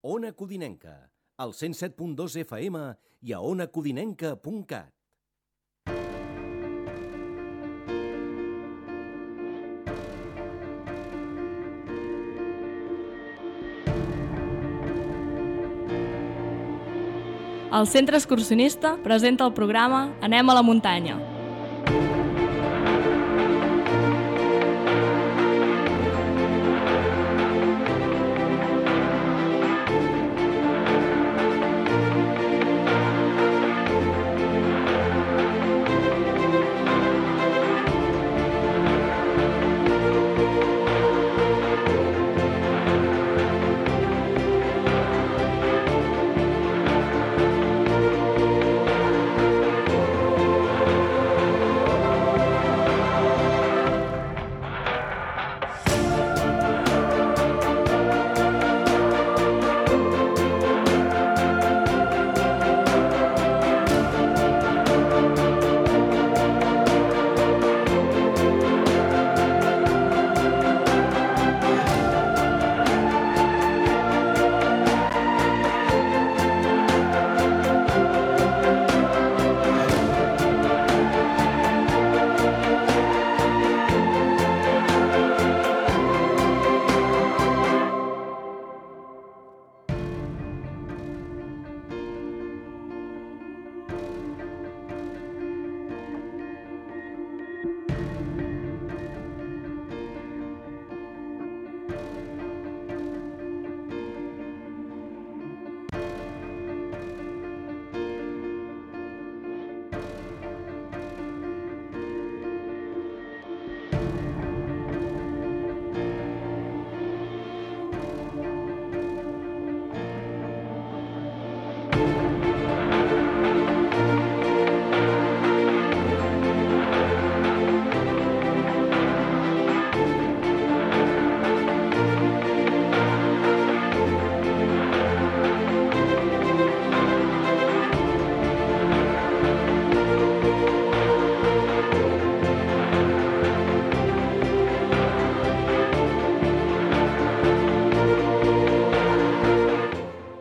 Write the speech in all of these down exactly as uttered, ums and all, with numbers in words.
Ona Codinenca, al cent set punt dos F M i a ona codinenca punt cat. El Centre Excursionista presenta el programa Anem a la muntanya.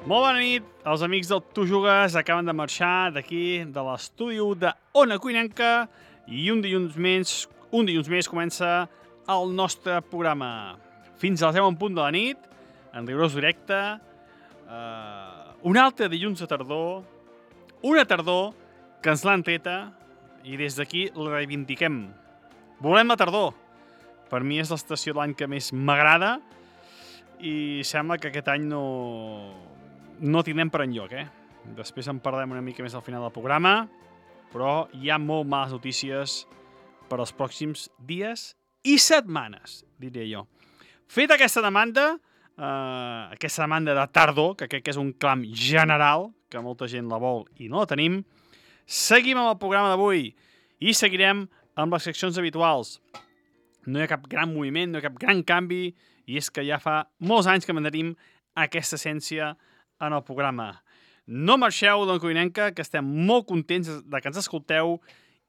Molt bona nit, els amics del Tu Jugues acaben de marxar d'aquí, de l'estudi de Ona Codinenca, i un dilluns més, un dilluns més comença el nostre programa. Fins a les deu en punt de la nit, en rigorós directe, eh, un altre dilluns de tardor, una tardor que ens l'han treta i des d'aquí la reivindiquem. Volem la tardor. Per mi és l'estació de l'any que més m'agrada i sembla que aquest any no... no tindrem per enlloc, eh? Després en parlarem una mica més al final del programa, però hi ha molt males notícies per als pròxims dies i setmanes, diria jo. Feta aquesta demanda, eh, aquesta demanda de tardor, que crec que és un clam general, que molta gent la vol i no la tenim, seguim amb el programa d'avui i seguirem amb les seccions habituals. No hi ha cap gran moviment, no hi ha cap gran canvi, i és que ja fa molts anys que mantenim aquesta essència en el programa. No marxeu d'Ona Codinenca, que estem molt contents de que ens escolteu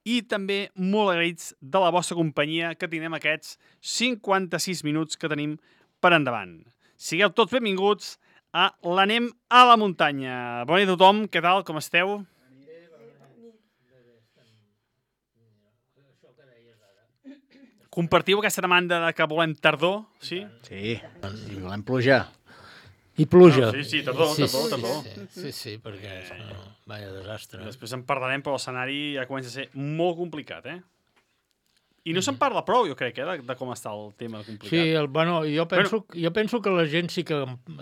i també molt agraïts de la vostra companyia que tindrem aquests cinquanta-sis minuts que tenim per endavant. Sigueu tots benvinguts a l'Anem a la muntanya. Bona nit a tothom, què tal, com esteu? Compartiu aquesta demanda de que volem tardor, sí? Sí, i volem plujar. I pluja. No, sí, sí, tardor, sí, tardor, sí, tardor. Sí, sí, sí, sí perquè és no, vaya desastre. Després en parlarem, però l'escenari ja comença a ser molt complicat, eh? I no se'n parla prou, jo crec, eh, de, de com està el tema complicat. Sí, el, bueno, jo penso, Bueno. jo penso que la gent sí que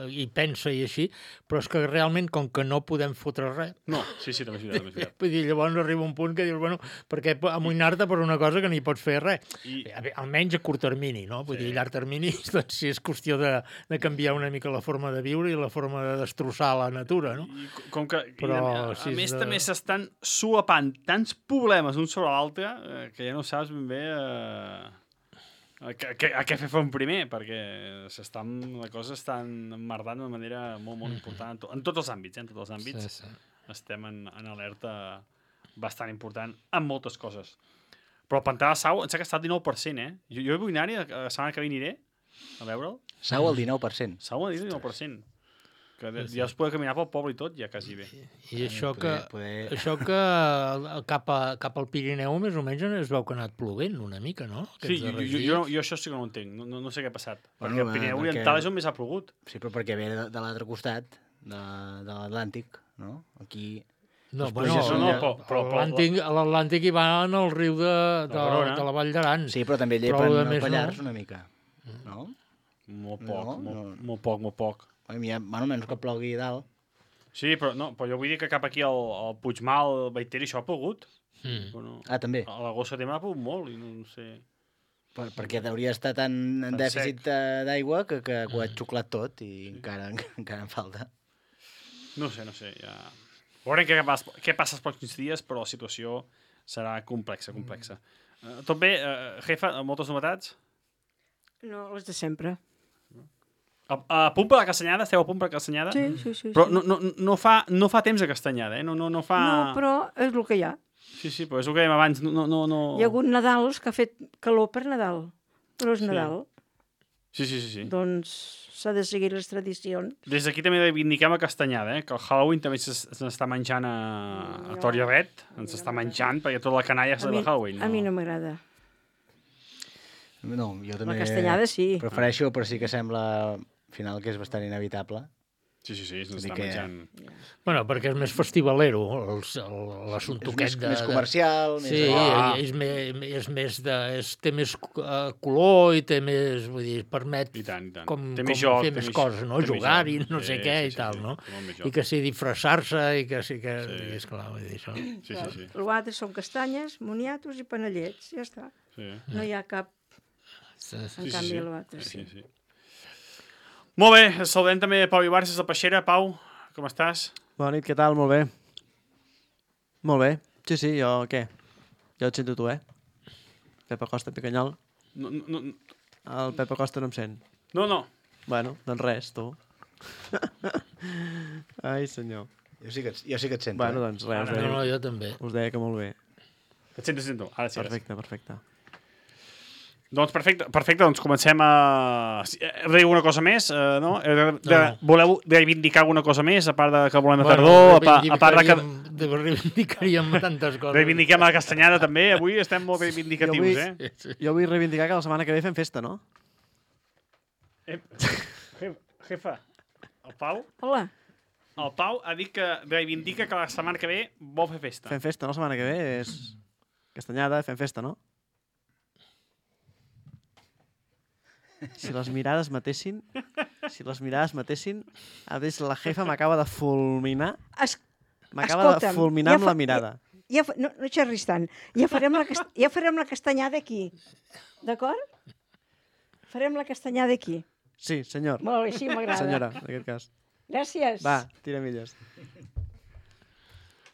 hi pensa i així, però és que realment, com que no podem fotre res, No, sí, sí, també és veritat, també és veritat. vull dir, llavors arriba un punt que dius, bueno, perquè amoïnar-te per una cosa que no hi pots fer res. I- Almenys a curt termini, no? Vull Sí. dir, a llarg termini, doncs sí és qüestió de, de canviar una mica la forma de viure i la forma de destrossar la natura, no? I com que, Però, i a, a, si a és més, de- també s'estan solapant tants problemes un sobre l'altre eh, que ja no saps ben bé eh, a, què- a, què- a què fer front primer, perquè s'estan, la cosa està emmerdant d'una manera molt, molt important en, to, en tots els àmbits, eh, en tots els àmbits. Sí, sí. Estem en, en alerta bastant important en moltes coses. Però el pantà de Sau, em sembla que està al dinou per cent, eh? Jo, jo vull anar-hi, la setmana que ve aniré a veure'l. Sau al dinou per cent. Sau al dinou per cent. Que sí, sí. Ja es poder caminar pel poble i tot, ja quasi bé. I això que, Poder, poder... això que cap, a, cap al Pirineu més o menys es veu que ha anat plovent una mica, no? Sí, jo, jo, jo, jo això sí que no ho entenc, no, no, no sé què ha passat. Bueno, perquè el Pirineu perquè... Oriental és on més ha plogut. Sí, però perquè ve de, de l'altre costat, de, de l'Atlàntic, no? Aquí... No, Les bueno, pluges són no, de- però, però l'Atlàntic l'Atlàntic hi va en el riu de, de, Verona. de la Vall d'Aran. Sí, però també Però llepen de el més Pallars no. una mica, no? Molt poc, No, molt, no. molt poc, molt poc. A mi, bueno, menys que plogui a dalt. Sí, però, no, però jo vull dir que cap aquí al, al Puigmal, al Baiteri, això ha plogut. Mm. Bueno, Ah, també. a l'agost setembre ha plogut molt i no, no sé... Per, perquè hauria estar tan en Tan dèficit sec. eh, d'aigua que, que ho ha xuclat tot i encara, encara en falta. No sé, no sé, ja... Veurem què, pas, què passa els pròxims dies, però la situació serà complexa, complexa. Uh, tot bé, uh, jefa, moltes novetats? No, les de sempre. A, a punt per la Castanyada? Esteu a punt per la Castanyada? Sí, sí, sí. Però sí. no, no, no, fa, no fa temps de Castanyada, eh? No, no, no fa... No, però és el que hi ha. Sí, sí, però és el que dèiem abans. No, no, no... Hi ha hagut Nadals que ha fet calor per Nadal, però és Sí. Nadal. Sí, sí, sí, sí. Doncs s'ha de seguir les tradicions. Des d'aquí també reivindiquem la Castanyada, eh? Que el Halloween també s'està menjant a, a No. Torioret, ens està menjant, perquè tota la canalla és A de mi, Halloween. a mi no m'agrada. No, jo també La castanyada sí. prefereixo, però sí que sembla al final que és bastant inevitable. Sí, sí, sí, Vull s'està dir que- menjant. Bueno, perquè és més festivalero, els- el- l'assumpte És aquest més, de... més de- comercial, Sí, més... Ah. és, més, és més de... És, té més uh, color i té més... Vull dir, permet I tant, i tant. com, Té com més joc, fer té més més- coses, no? té més Jugar-hi, joc. no sé Sí, què sí, i sí, tal, sí, no? té molt més I joc. que sí, disfressar-se i que sí que... Sí. Sí. Esclar, vull dir això. Sí, sí, sí. L'altre són castanyes, moniatos i panellets, ja està. sí. No hi ha cap, Sí, en sí. sí, canvi, sí. l'altre Sí, sí. sí, sí. Molt bé, saludem també Pau Ibarres des de Peixera. Pau, com estàs? Bona nit, què tal? Molt bé. Molt bé. Sí, sí, jo què? Jo et sento tu, eh? Pepa Costa, Picanyol. No, no, no, El Pepa Costa no em sent. no. no. Bueno, doncs res, tu. Ai, senyor. Jo sí que, et- jo sí que et sento. Bueno, eh? doncs res, us No, no, deia, jo també. us deia que molt bé. Et sento, et sento. Ara sí, ara sí. Perfecte, perfecte. Doncs perfecte, perfecte, doncs comencem a... Si- eh, Heu de dir alguna cosa més, eh, no? Heu De, de, No, no. Voleu reivindicar alguna cosa més, a part de que volem a tardor, a, pa, a part de que reivindicaríem- de- reivindicaríem tantes coses. reivindiquem la Castanyada també, avui estem molt reivindicatius, Jo vull- eh? Sí, sí. Jo vull reivindicar que la setmana que ve fem festa, no? eh jefa, jefa, el Pau, Hola, el Pau ha dit que reivindica que la setmana que ve vol fer festa. Fem festa, no? La setmana que ve és Castanyada, fem festa, no? Si les mirades matessin, si les mirades matessin, a més la jefa m'acaba de fulminar, es, m'acaba de Escolta'm, fulminar ja amb la fa- mirada. ja, fa- no, no xerris tant. Ja farem la, cast, ja farem la castanyada aquí. D'acord? Farem la castanyada aquí. Sí, senyor. Molt bé, sí, m'agrada. Senyora, en aquest cas. Gràcies. Va, tira milles.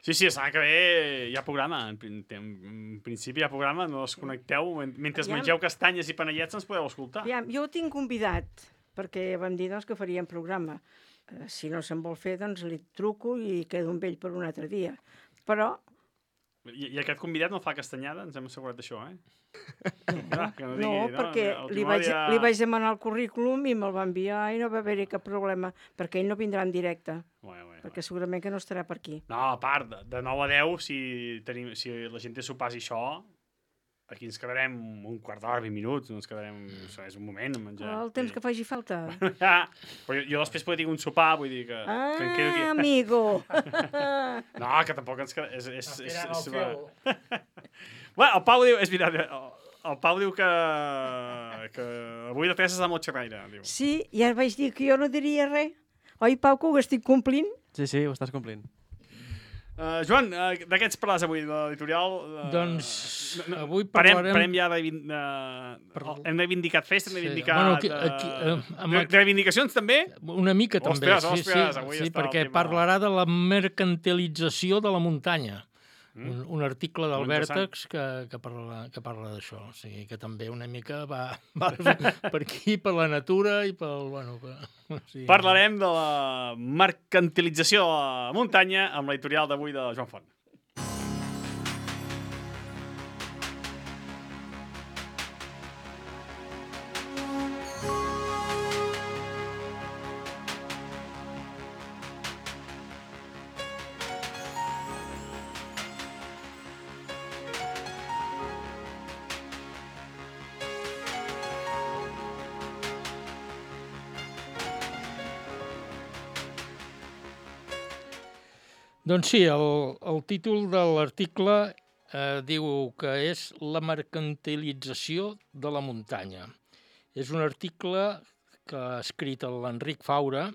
Sí, sí, la setmana que ve hi ha programa. En, prin- en principi hi ha programa, no us connecteu. Men- Mentre Aviam. mengeu castanyes i panellets ens podeu escoltar. Aviam, jo ho tinc convidat, perquè vam dir doncs, que faríem programa. Eh, si no se'n vol fer, doncs li truco i quedo amb ell per un altre dia. Però I, I aquest convidat no fa castanyada? Ens hem assegurat d'això, eh? No, que no, digui, perquè El li Timó vaig, ja- li vaig demanar el currículum i me'l va enviar i no va haver-hi cap problema, perquè ell no vindrà en directe, Bueno, bueno, perquè segurament que no estarà per aquí. No, a part, de, de nou a deu, si, tenim, si la gent té sopars i això, aquí ens quedarem un quart d'hora, vint minuts, no ens quedarem... Això és un moment, a menjar. El temps que faci falta. Ja, però jo, jo després podria dir un sopar, vull dir que, Ah, que em quedo aquí. amigo! No, que tampoc ens queda... És, és, és, és, és, bueno, el Pau diu... És veritat, el, el Pau diu que, que avui la Teresa és la motxerraire, diu. Sí, ja vaig dir que jo no diria res. Oi, Pau, que ho estic complint? Sí, sí, ho estàs complint. Uh, Joan, uh, de què ens parles avui, de l'editorial? Uh, Doncs avui parem, parlarem... parem ja de... de... Per- Hem reivindicat festa, hem Sí. reivindicat... Bueno, aquí- eh, aquí, eh, amb de, el- de reivindicacions també? Una mica també, Ostres, sí, ostres, sí, avui sí està el perquè tema. parlarà de la mercantilització de la muntanya. Mm. Un, un article del Molt Vèrtex que, que parla, que parla d'això. O sigui, que també una mica va, va per aquí, per la natura i pel... Bueno, per, o sigui, Parlarem de la mercantilització de la muntanya amb l'editorial d'avui de Joan Font. Doncs sí, el, el títol de l'article eh, diu que és la mercantilització de la muntanya. És un article que ha escrit l'Enric Faura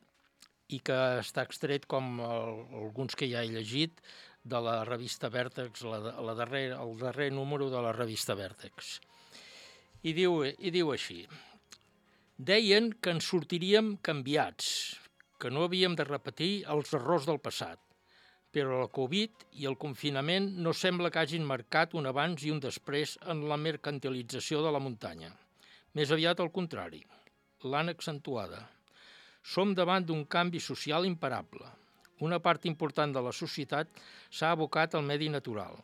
i que està extret, com el, alguns que ja he llegit, de la revista Vèrtex, la, la darrer, el darrer número de la revista Vèrtex. I diu, i diu així: deien que ens sortiríem canviats, que no havíem de repetir els errors del passat, però la Covid i el confinament no sembla que hagin marcat un abans i un després en la mercantilització de la muntanya. Més aviat al contrari, l'han accentuada. Som davant d'un canvi social imparable. Una part important de la societat s'ha abocat al medi natural.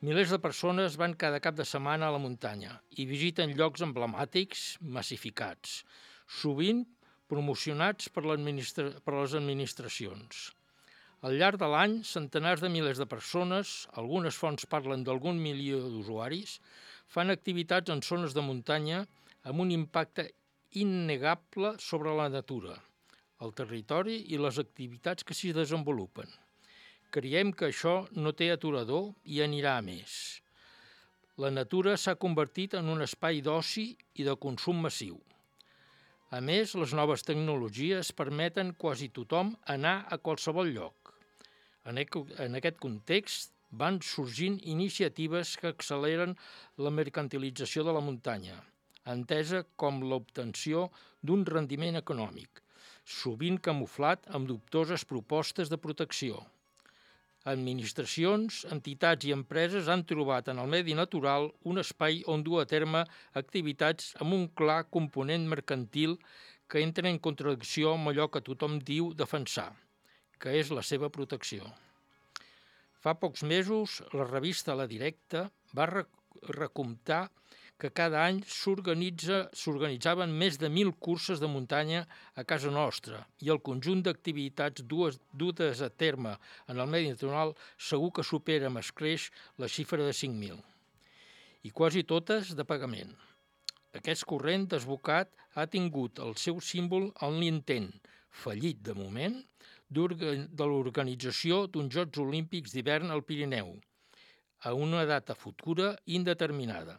Milers de persones van cada cap de setmana a la muntanya i visiten llocs emblemàtics massificats, sovint promocionats per, per les administracions. Al llarg de l'any, centenars de milers de persones, algunes fonts parlen d'algun milió d'usuaris, fan activitats en zones de muntanya amb un impacte innegable sobre la natura, el territori i les activitats que s'hi desenvolupen. Creiem que això no té aturador i anirà a més. La natura s'ha convertit en un espai d'oci i de consum massiu. A més, les noves tecnologies permeten quasi tothom anar a qualsevol lloc. En aquest context van sorgint iniciatives que acceleren la mercantilització de la muntanya, entesa com l'obtenció d'un rendiment econòmic, sovint camuflat amb dubtoses propostes de protecció. Administracions, entitats i empreses han trobat en el medi natural un espai on dur a terme activitats amb un clar component mercantil que entra en contradicció amb allò que tothom diu defensar, que és la seva protecció. Fa pocs mesos, la revista La Directa va recomptar que cada any s'organitzaven més de mil curses de muntanya a casa nostra i el conjunt d'activitats dutes a terme en el medi natural segur que supera amb escreix la xifra de cinc mil. I quasi totes de pagament. Aquest corrent desbocat ha tingut el seu símbol en l'intent, fallit de moment, de l'organització d'uns Jocs Olímpics d'hivern al Pirineu, a una data futura indeterminada.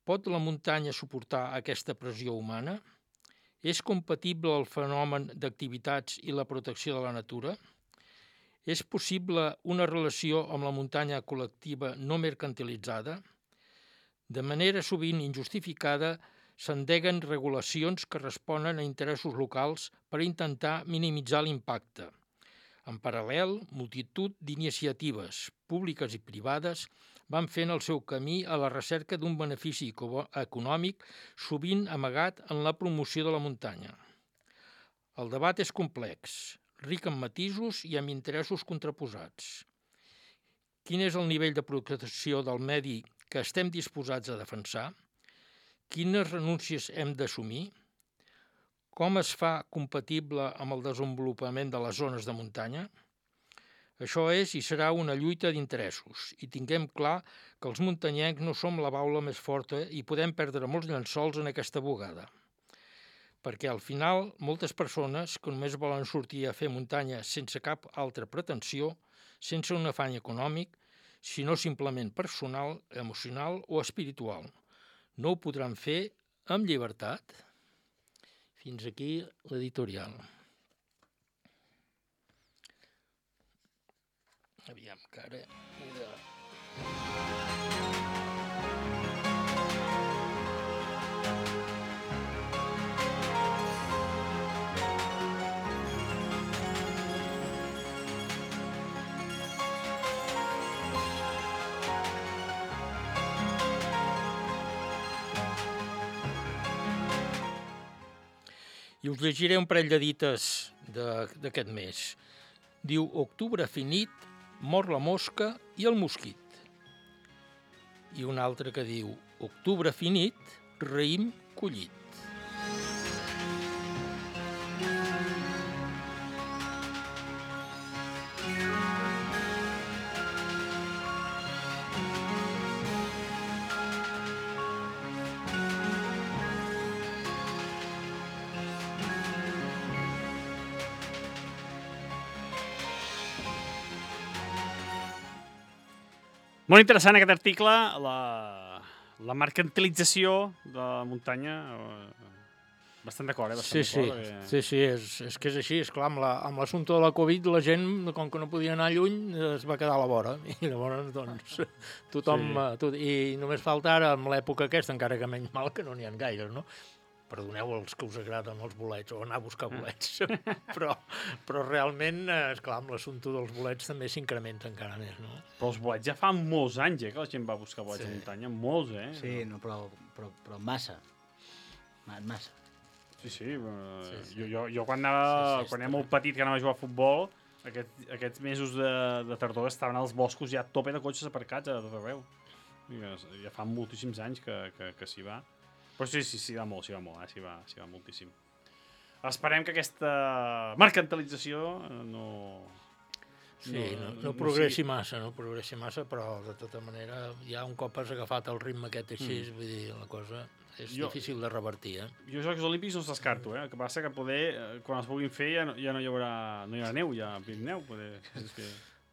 Pot la muntanya suportar aquesta pressió humana? És compatible el fenomen d'activitats i la protecció de la natura? És possible una relació amb la muntanya col·lectiva no mercantilitzada? De manera sovint injustificada, s'endeguen regulacions que responen a interessos locals per intentar minimitzar l'impacte. En paral·lel, multitud d'iniciatives públiques i privades van fent el seu camí a la recerca d'un benefici econòmic sovint amagat en la promoció de la muntanya. El debat és complex, ric en matisos i amb interessos contraposats. Quin és el nivell de protecció del medi que estem disposats a defensar? Quines renúncies hem d'assumir? Com es fa compatible amb el desenvolupament de les zones de muntanya? Això és i serà una lluita d'interessos i tinguem clar que els muntanyencs no som la baula més forta i podem perdre molts llençols en aquesta bugada. Perquè al final moltes persones que només volen sortir a fer muntanya sense cap altra pretensió, sense un afany econòmic, sinó simplement personal, emocional o espiritual, no ho podran fer amb llibertat? Fins aquí l'editorial. Aviam, que ara he de... I us llegiré un parell de dites d'aquest mes. Diu, octubre finit, mor la mosca i el mosquit. I un altre que diu, octubre finit, raïm collit. Molt interessant aquest article, la, la mercantilització de la muntanya. Bastant d'acord, eh? Bastant Sí, sí, d'acord, perquè... sí, sí, és, és que és així, és clar, amb la- amb l'assumpte de la Covid la gent, com que no podia anar lluny, es va quedar a la vora, i llavors, doncs, tothom... Sí. Sí. Tot, I només falta ara, amb l'època aquesta, encara que menys mal, que no n'hi ha gaires, no? Perdoneu els que us agraden els bolets, o anar a buscar bolets, però, però realment, eh, esclar, amb l'assumpte dels bolets també s'incrementa encara més, no? Però els bolets ja fa molts anys, eh, que la gent va buscar bolets Sí. a muntanya. Molts, eh? Sí, no, però, però, però massa. Ma- Massa. Sí, sí. eh, Sí, sí. Jo, jo, jo quan, anava, Sí, sí, quan està era molt petit, que anava a jugar a futbol, aquest, aquests mesos de, de tardor estaven als boscos ja a tope de cotxes aparcats a tot arreu. I Ja, ja fa moltíssims anys que, que, que s'hi va. Però sí, sí, s'hi va molt, s'hi va molt, eh? s'hi va, s'hi va moltíssim. Esperem que aquesta mercantilització eh, no... Sí, no, no, no progressi massa, no progressi massa, però de tota manera, ja un cop has agafat el ritme aquest així, mm. vull dir, la cosa és Jo- difícil de revertir, eh? Jo els Jocs Olímpics no els descarto, eh? El que passa que poder, eh, quan els vulguin fer, ja no, ja no hi haurà, no hi haurà neu, ja a Pirineu, poder... És que...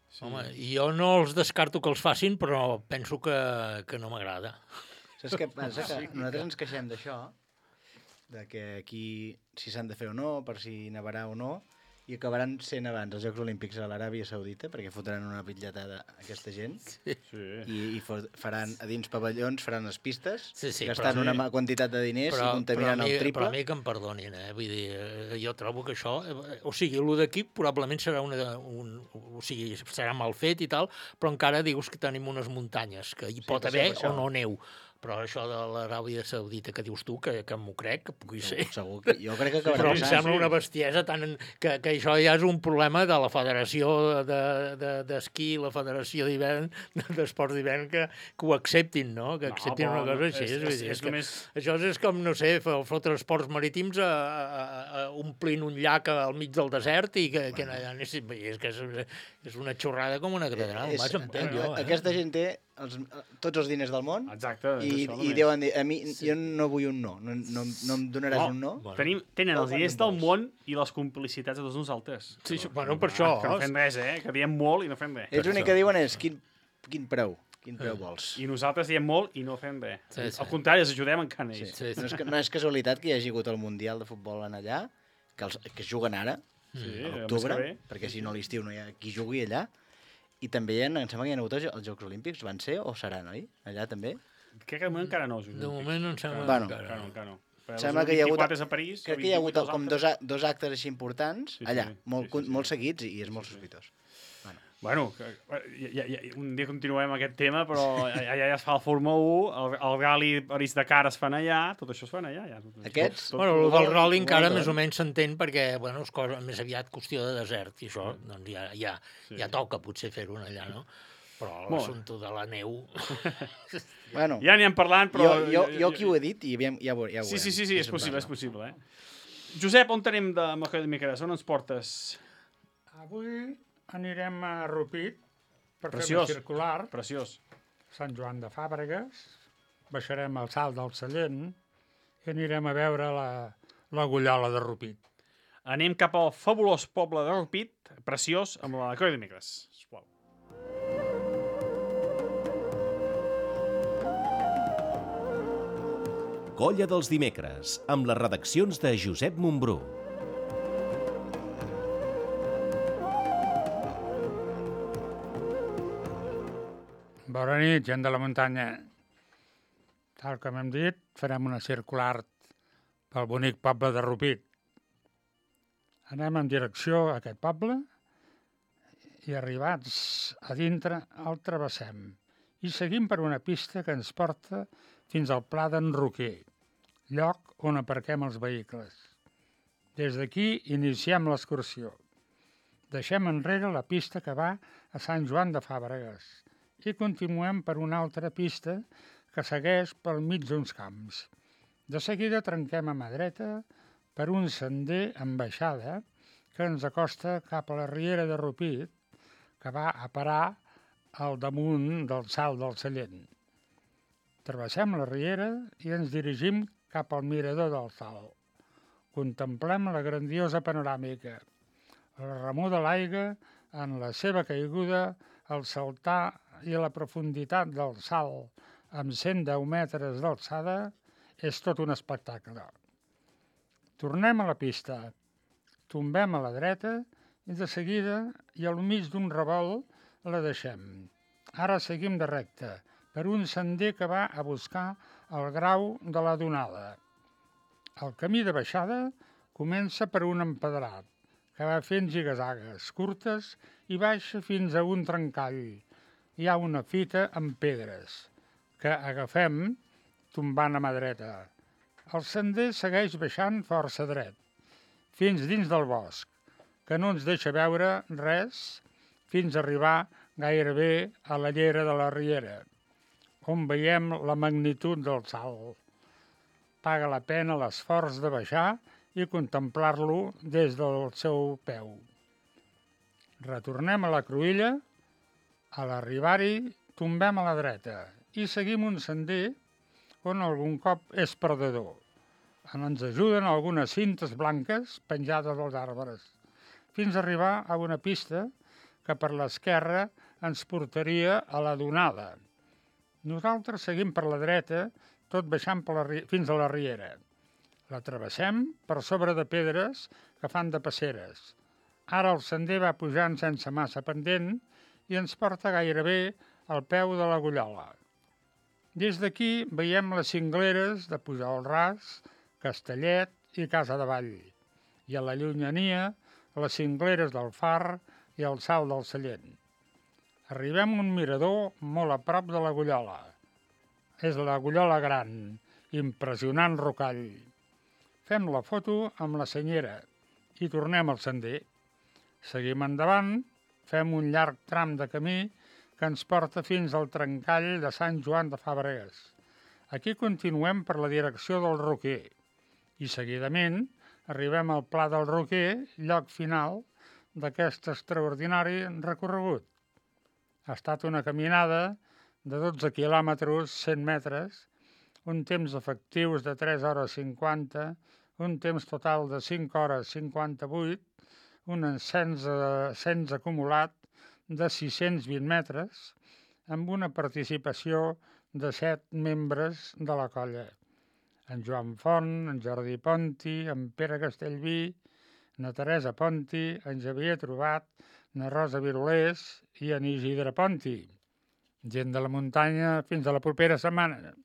Sí. Home, jo no els descarto que els facin, però penso que, que no m'agrada. Saps què passa? Que nosaltres ens queixem d'això, de que aquí si s'han de fer o no, per si nevarà o no, i acabaran sent abans els Jocs Olímpics a l'Aràbia Saudita, perquè fotran una bitlletada a aquesta gent, Sí. i, i fo- faran a dins pavellons, faran les pistes, Sí, sí, gastant però- una ma- quantitat de diners Però, i contaminant però, a mi, el triple. però a mi que em perdonin, eh? Vull dir, eh, jo trobo que això... Eh, o sigui, el d'aquí probablement serà una, un... O sigui, serà mal fet i tal, però encara dius que tenim unes muntanyes, que hi Sí, pot per haver això, per o això. no neu. Però això de l'Aràbia Saudita que dius tu, que, que m'ho crec, que pugui ser... Segur que, jo crec que acabarà Però em sí, sembla sí. una bestiesa tant en, que, que això ja és un problema de la Federació de- de- d'Esquí, de, la Federació d'Hivern, d'Esports d'Hivern, que, que ho acceptin, no? Que No, acceptin però una cosa no, així. és- vull és- dir, és és que només- Això és com, no sé, f- fotre esports marítims a, a, a, omplint un llac al mig del desert i que, que allà anessin... És que és, és una xorrada com una catedral, És- vaja, entenc jo, jo. Eh? Aquesta gent té els, tots els diners del món Exacte. és i, això i només. deuen dir, a mi, jo no vull un no, no, no, no em donaràs No. un no? Bueno. Tenim, tenen No, els quan diners en del vols. món i les complicitats de tots nosaltres. Sí, sí, bueno, per això. Que no fem res, eh? Que diem molt i no fem res. Ells l'únic que diuen és quin, quin preu, quin preu vols. I nosaltres diem molt i no fem res. Sí, sí. Al contrari, els ajudem encara Sí. ells. Sí, sí. No, és, que- no és casualitat que hi hagi hagut el Mundial de Futbol en allà, que, els, que es juguen ara, Sí, a el mes l'octubre, que ve. perquè si no a l'estiu no hi ha qui jugui allà, i també hi ha, em sembla que hi ha hagut els els Jocs Olímpics, van ser o seran, oi? Allà també? Crec que de moment encara no. De moment no em sembla... Bueno. Encara no, encara no. Però Sembla el que hi ha hagut- vint-i-quatre és a París. Crec el que hi ha vint-i-vuit hagut als com altres. dos, a- dos actes així importants, Sí, sí, allà, sí, molt, sí, sí, molt sí. seguits i, i és molt Sí, sí. sospitós. Bueno, que, ja, ja, ja, un dia continuem aquest tema, però allà ja es fa el Fórmula u, el, el Rally París-Dakar es fan allà, tot això es fan allà. Ja, tot, Aquests? Tot, tot, Bueno, el del rally Molt encara bé. més o menys s'entén perquè, bueno, és cosa més aviat qüestió de desert, i això, doncs ja, ja, Sí. ja toca potser fer-ho allà, no? Però Molt bé. l'assumpte de la neu... Bueno, ja n'hi hem parlant, però... jo, jo, jo aquí ho he dit i aviam, ja, ho, ja ho Sí, veurem. sí, sí, sí, què és se'n possible, és parla. possible, eh? Josep, on tenim de Moja de Miqueres? On ens portes? Avui anirem a Rupit per Preciós. fer una circular, Preciós. Sant Joan de Fàbregues, baixarem al Salt del Sallent i anirem a veure la, la Gullola de Rupit. Anem cap al fabulós poble de Rupit, preciós, amb la Colla de Miqueres. Sisplau. Colla dels dimecres, amb les redaccions de Josep Montbrú. Bona nit, gent de la muntanya. Tal com hem dit, farem una circular pel bonic poble de Rupit. Anem en direcció a aquest poble i arribats a dintre el travessem i seguim per una pista que ens porta fins al Pla d'en Roquer, lloc on aparquem els vehicles. Des d'aquí iniciem l'excursió. Deixem enrere la pista que va a Sant Joan de Fàbregues i continuem per una altra pista que segueix pel mig d'uns camps. De seguida trenquem a mà dreta per un sender amb baixada que ens acosta cap a la riera de Rupit, que va a parar al damunt del Salt del Sallent. Travessem la riera i ens dirigim cap al mirador del Salt. Contemplem la grandiosa panoràmica, la remor de l'aigua en la seva caiguda al saltar i la profunditat del salt amb cent deu metres d'alçada és tot un espectacle. Tornem a la pista, tombem a la dreta i de seguida i al mig d'un revolt la deixem. Ara seguim de recte per un sender que va a buscar el grau de la Donada. El camí de baixada comença per un empedrat que va fent zigazagues curtes i baixa fins a un trencall. Hi ha una fita amb pedres que agafem tombant a mà dreta. El sender segueix baixant força dret, fins dins del bosc, que no ens deixa veure res fins a arribar gairebé a la llera de la Riera, on veiem la magnitud del salt. Paga la pena l'esforç de baixar i contemplar-lo des del seu peu. Retornem a la cruïlla, a l'arribar-hi tombem a la dreta i seguim un sender on algun cop és perdedor. Ens ajuden algunes cintes blanques penjades als arbres, fins a arribar a una pista que per l'esquerra ens portaria a la Donada. Nosaltres seguim per la dreta, tot baixant per la, fins a la Riera. La travessem per sobre de pedres que fan de passeres. Ara el sender va pujant sense massa pendent i ens porta gairebé al peu de la Gollola. Des d'aquí veiem les cingleres de Pujol Ras, Castellet i Casa de Vall, i a la llunyania les cingleres del Far i el Salt del Sallent. Arribem a un mirador molt a prop de la Gollola. És la Gollola Gran, impressionant rocall. Fem la foto amb la senyera i tornem al sender. Seguim endavant, fem un llarg tram de camí que ens porta fins al trencall de Sant Joan de Fàbregues. Aquí continuem per la direcció del Roquer i seguidament arribem al Pla del Roquer, lloc final d'aquest extraordinari recorregut. Ha estat una caminada de dotze quilòmetres, cent metres, un temps efectius de tres hores cinquanta, un temps total de cinc hores cinquanta-vuit, un ascens acumulat de sis-cents vint metres, amb una participació de set membres de la colla. En Joan Font, en Jordi Ponti, en Pere Castellví, na Teresa Ponti, en Xavier Trobat, na Rosa Virolés i en Isidre Ponti. Gent de la muntanya, fins a la propera setmana.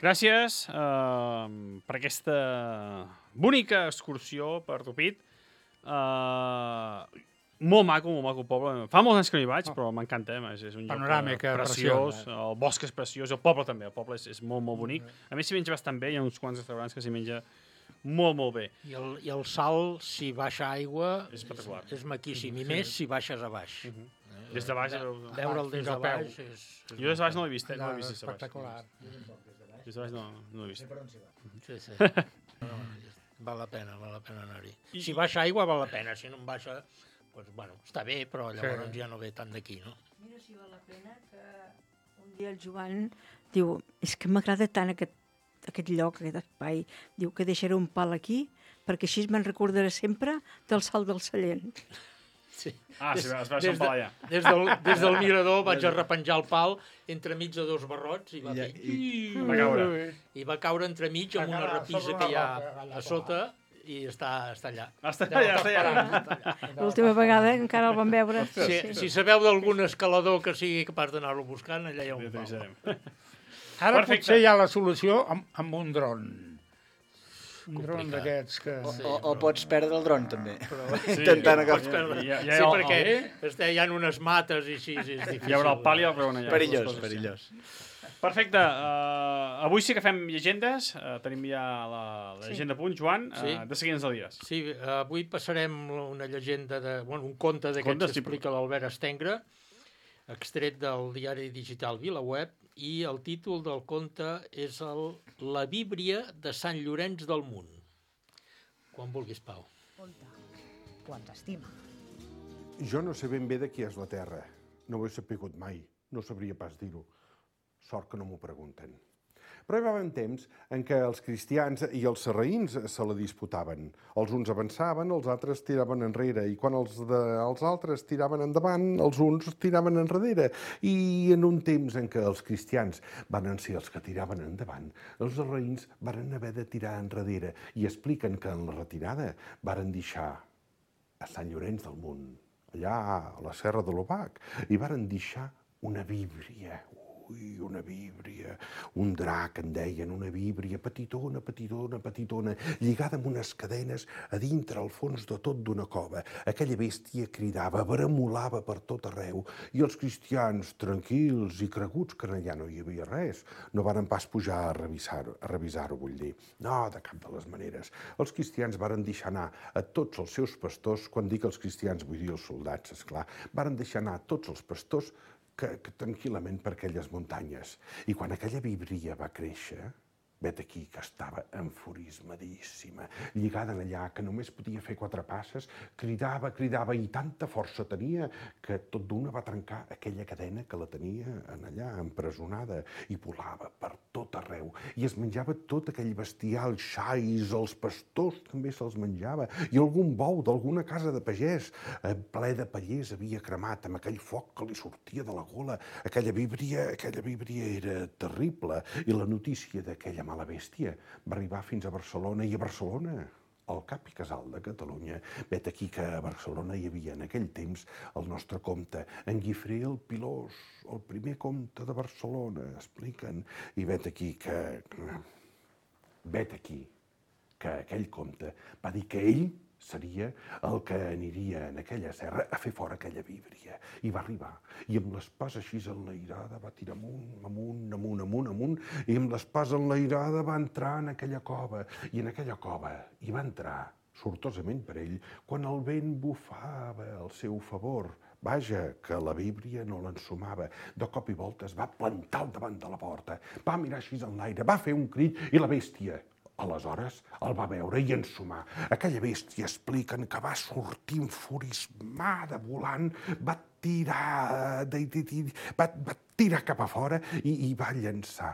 Gràcies uh, per aquesta bonica excursió per Rupit. Uh, molt maco, molt maco el poble. Fa molts anys que no hi vaig, però m'encanta. Eh? És, és un Panoràmic, lloc preciós. Eh? El bosc és preciós, el poble també. El poble és, és molt, molt bonic. A més, s'hi menja bastant bé. Hi ha uns quants restaurants que s'hi menja molt, molt bé. I el, i el salt, si baixa aigua, és, és, és maquíssim. I més si baixes a baix. Uh -huh. Des de baix... Veure'l des de baix és... Jo des de baix no l'he vist, eh? No l'he vist des de baix. Espectacular. Des de baix no, no l'he vist. Sí, sí. Val la pena, val la pena anar-hi. Si baixa aigua, val la pena. Si no en baixa, doncs, bueno, està bé, però llavors ja no ve tant d'aquí, no? Mira si val la pena que un dia el Joan diu, és que m'agrada tant aquest, aquest lloc, aquest espai. Diu que deixaré un pal aquí perquè així me'n recordaré sempre del Salt del Sallent. Sí. Ah, des, sí, es va des, de, allà. Des del, des del mirador vaig a repenjar el pal entremig de dos barrots i va, fer... I, i, va caure. I va caure entremig amb una repisa que hi ha a sota i està, està allà. Està allà, està allà. L'última vegada encara el vam veure. Si, sí. si sabeu d'algun escalador que sigui capaç d'anar-lo buscant, allà hi ha un pal. Ara Perfecte. Potser hi ha la solució amb, amb un dron. Un dron complicat. d'aquests que... O, Sí, o, o però- pots perdre el dron, també. Però, Intentant agafar. pots perdre. Ja- ja hi sí, ha- perquè està, hi ha unes mates i així, és difícil. Hi haurà el pal i el peon allà. Perillós, les coses. perillós. Perfecte. Uh, avui sí que fem llegendes. Uh, tenim ja la, la Sí. llegenda a punt. Joan, uh, Sí. de seguida ens la digues. Sí, avui passarem una llegenda, de, bueno, un conte d'aquests Contes, que sí, explica l'Albert Estengre, extret del diari digital VilaWeb, i el títol del conte és el La Víbria de Sant Llorenç del Munt. Quan vulguis, Pau. Quan t'estima. Jo no sé ben bé de qui és la Terra. No ho he sapigut mai. No sabria pas dir-ho. Sort que no m'ho pregunten. Però hi va haver un temps en què els cristians i els sarraïns se la disputaven. Els uns avançaven, els altres tiraven enrere, i quan els, de, els altres tiraven endavant, els uns tiraven enrere. I en un temps en què els cristians van ser els que tiraven endavant, els sarraïns van haver de tirar enrere, i expliquen que en la retirada varen deixar a Sant Llorenç del Munt, allà a la Serra de l'Obac, i varen deixar una víbria, ui, una víbria, un drac, en deien, una víbria petitona, petitona, petitona, lligada amb unes cadenes a dintre, al fons de tot d'una cova. Aquella bèstia cridava, bramolava per tot arreu, i els cristians, tranquils i creguts que allà no hi havia res, no varen pas pujar a revisar-ho, a revisar-ho, vull dir. No, de cap de les maneres. Els cristians varen deixar anar a tots els seus pastors, quan dic els cristians vull dir els soldats, esclar, varen deixar anar a tots els pastors que, que tranquil·lament per aquelles muntanyes. I quan aquella víbria va créixer, vet aquí que estava enfurismadíssima, lligada allà, que només podia fer quatre passes, cridava, cridava, i tanta força tenia que tot d'una va trencar aquella cadena que la tenia en allà, empresonada, i volava per tot arreu, i es menjava tot aquell bestiar, els xais, els pastors també se'ls menjava, i algun bou d'alguna casa de pagès, eh, ple de pallers, havia cremat amb aquell foc que li sortia de la gola. Aquella víbria, aquella víbria era terrible, i la notícia d'aquella mala bèstia va arribar fins a Barcelona, i a Barcelona, al cap i casal de Catalunya, vet aquí que a Barcelona hi havia en aquell temps el nostre comte, en Guifré el Pilós, el primer comte de Barcelona, expliquen, i vet aquí que... vet aquí que aquell comte va dir que ell seria el que aniria en aquella serra a fer fora aquella víbria. I va arribar, i amb l'espasa així enlairada va tirar amunt, amunt, amunt, amunt, amunt, i amb l'espasa enlairada va entrar en aquella cova, i en aquella cova hi va entrar, sortosament per ell, quan el vent bufava al seu favor. Vaja, que la víbria no l'ensumava. De cop i volta es va plantar al davant de la porta, va mirar així en l'aire, va fer un crit, i la bèstia, aleshores, el va veure i ensumar. Aquella bèstia expliquen que va sortir enfurismada volant, va tirar, de, de, de, va, va tirar cap a fora i, i va llançar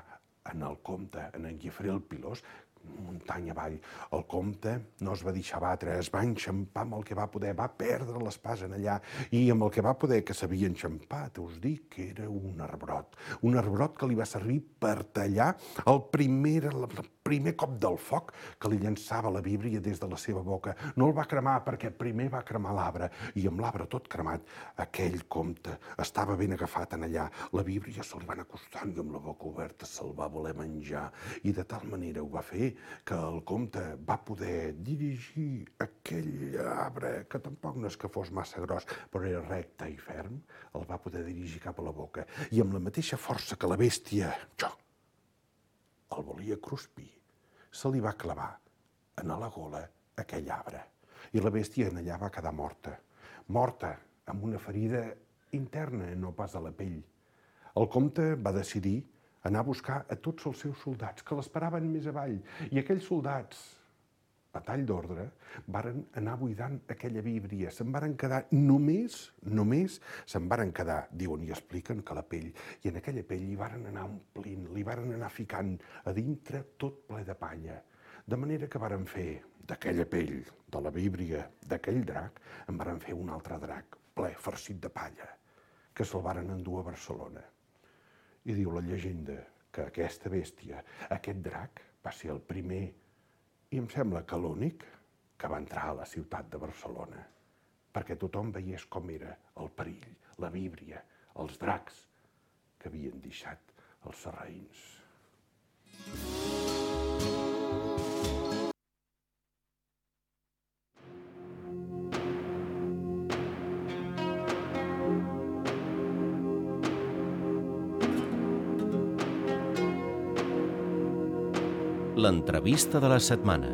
en el comte, en en Guifré el Pilós, muntanya avall. El comte no es va deixar batre, es va enxampar amb el que va poder, va perdre l'espasa en allà, i amb el que va poder que s'havia enxampat, us dic que era un arbrot, un arbrot que li va servir per tallar el primer, el primer cop del foc que li llançava la víbria des de la seva boca. No el va cremar perquè primer va cremar l'arbre, i amb l'arbre tot cremat, aquell comte estava ben agafat en allà. La víbria se li van acostant i amb la boca oberta se'l va voler menjar, i de tal manera ho va fer que el comte va poder dirigir aquell arbre, que tampoc no és que fos massa gros, però era recte i ferm, el va poder dirigir cap a la boca, i amb la mateixa força que la bèstia, jo, el volia cruspir, se li va clavar en la gola aquell arbre. I la bèstia en allà va quedar morta, morta amb una ferida interna, no pas a la pell. El comte va decidir anar a buscar a tots els seus soldats, que l'esperaven més avall, i aquells soldats, a tall d'ordre, varen anar buidant aquella víbria, se'n varen quedar només, només se'n varen quedar, diuen i expliquen, que la pell, i en aquella pell hi varen anar omplint, li varen anar ficant a dintre tot ple de palla, de manera que varen fer d'aquella pell, de la víbria, d'aquell drac, en varen fer un altre drac, ple, farcit de palla, que se'l varen endur a Barcelona. I diu la llegenda que aquesta bèstia, aquest drac, va ser el primer, i em sembla que l'únic, que va entrar a la ciutat de Barcelona, perquè tothom veiés com era el perill, la víbria, els dracs que havien deixat els sarraïns. l'entrevista de la setmana.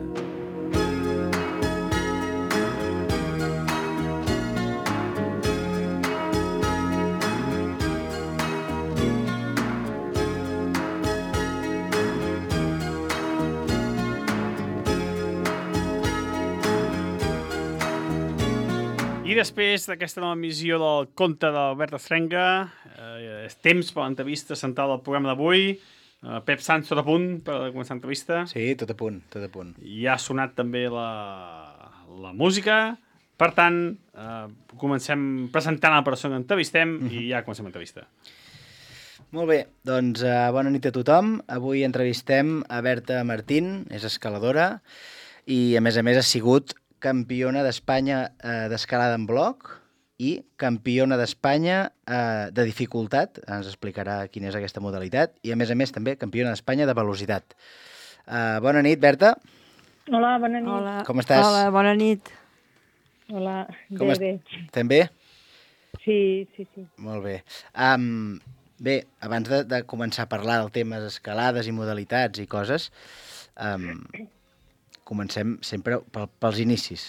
I després d'aquesta nova emissió del conte d'Albert Estrenga, eh, és temps per l'entrevista central del programa d'avui. Eh, Pep Sanz, tot a punt per començar l'entrevista? Sí, tot a punt, tot a punt. Ja ha sonat també la, la música. Per tant, eh, comencem presentant la persona que entrevistem uh-huh. i ja comencem l'entrevista. Molt bé, doncs uh, bona nit a tothom. Avui entrevistem a Berta Martín, és escaladora i a més a més ha sigut campiona d'Espanya eh, d'escalada en bloc i campiona d'Espanya eh, de dificultat, ens explicarà quina és aquesta modalitat, i a més a més també campiona d'Espanya de velocitat. Eh, bona nit, Berta. Hola, bona nit. Hola. Com estàs? Hola, bona nit. Hola, Com bé, est... bé. Estem bé? Sí, sí, sí. Molt bé. Um, bé, abans de, de començar a parlar del temes escalades i modalitats i coses, um, comencem sempre pel, pels inicis.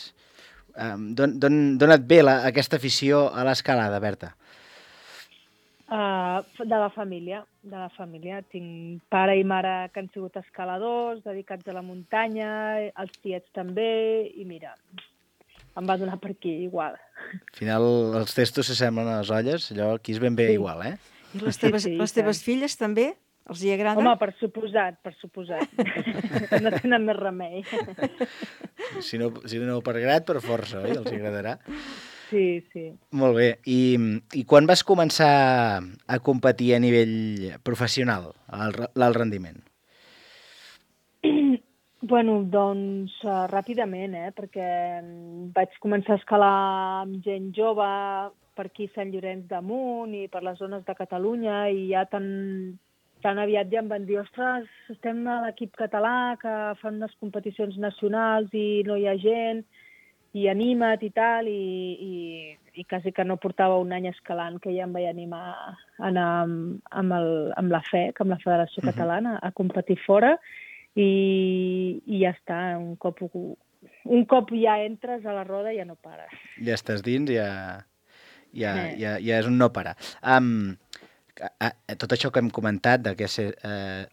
Um, D'on et ve la, aquesta afició a l'escalada, Berta? Uh, de la família, de la família. Tinc pare i mare que han sigut escaladors, dedicats a la muntanya, els tiets també, i mira, em va donar per aquí, igual. Al final els testos s'assemblen a les olles, allò aquí és ben bé sí. igual, eh? I les teves, sí, sí, les teves filles també? Els hi agrada? Home, per suposat, per suposat. No tenen més remei. Si no, si no per grat, per força, oi? Els agradarà. Sí, sí. Molt bé. I, i quan vas començar a competir a nivell professional, l'alt rendiment? Bueno, doncs uh, ràpidament, eh? Perquè vaig començar a escalar amb gent jove per aquí Sant Llorenç d'Amunt i per les zones de Catalunya i ja tan... tan aviat ja em van dir, ostres, estem a l'equip català que fan unes competicions nacionals i no hi ha gent, i anima't i tal, i, i, i quasi que no portava un any escalant que ja em vaig animar a anar amb, amb, el, amb la F E C, amb la Federació uh-huh. Catalana, a competir fora, i, i ja està, un cop, un cop ja entres a la roda ja no pares. Ja estàs dins, ja, ja, eh. ja, ja és un no parar. Um, tot això que hem comentat, de que ser, eh,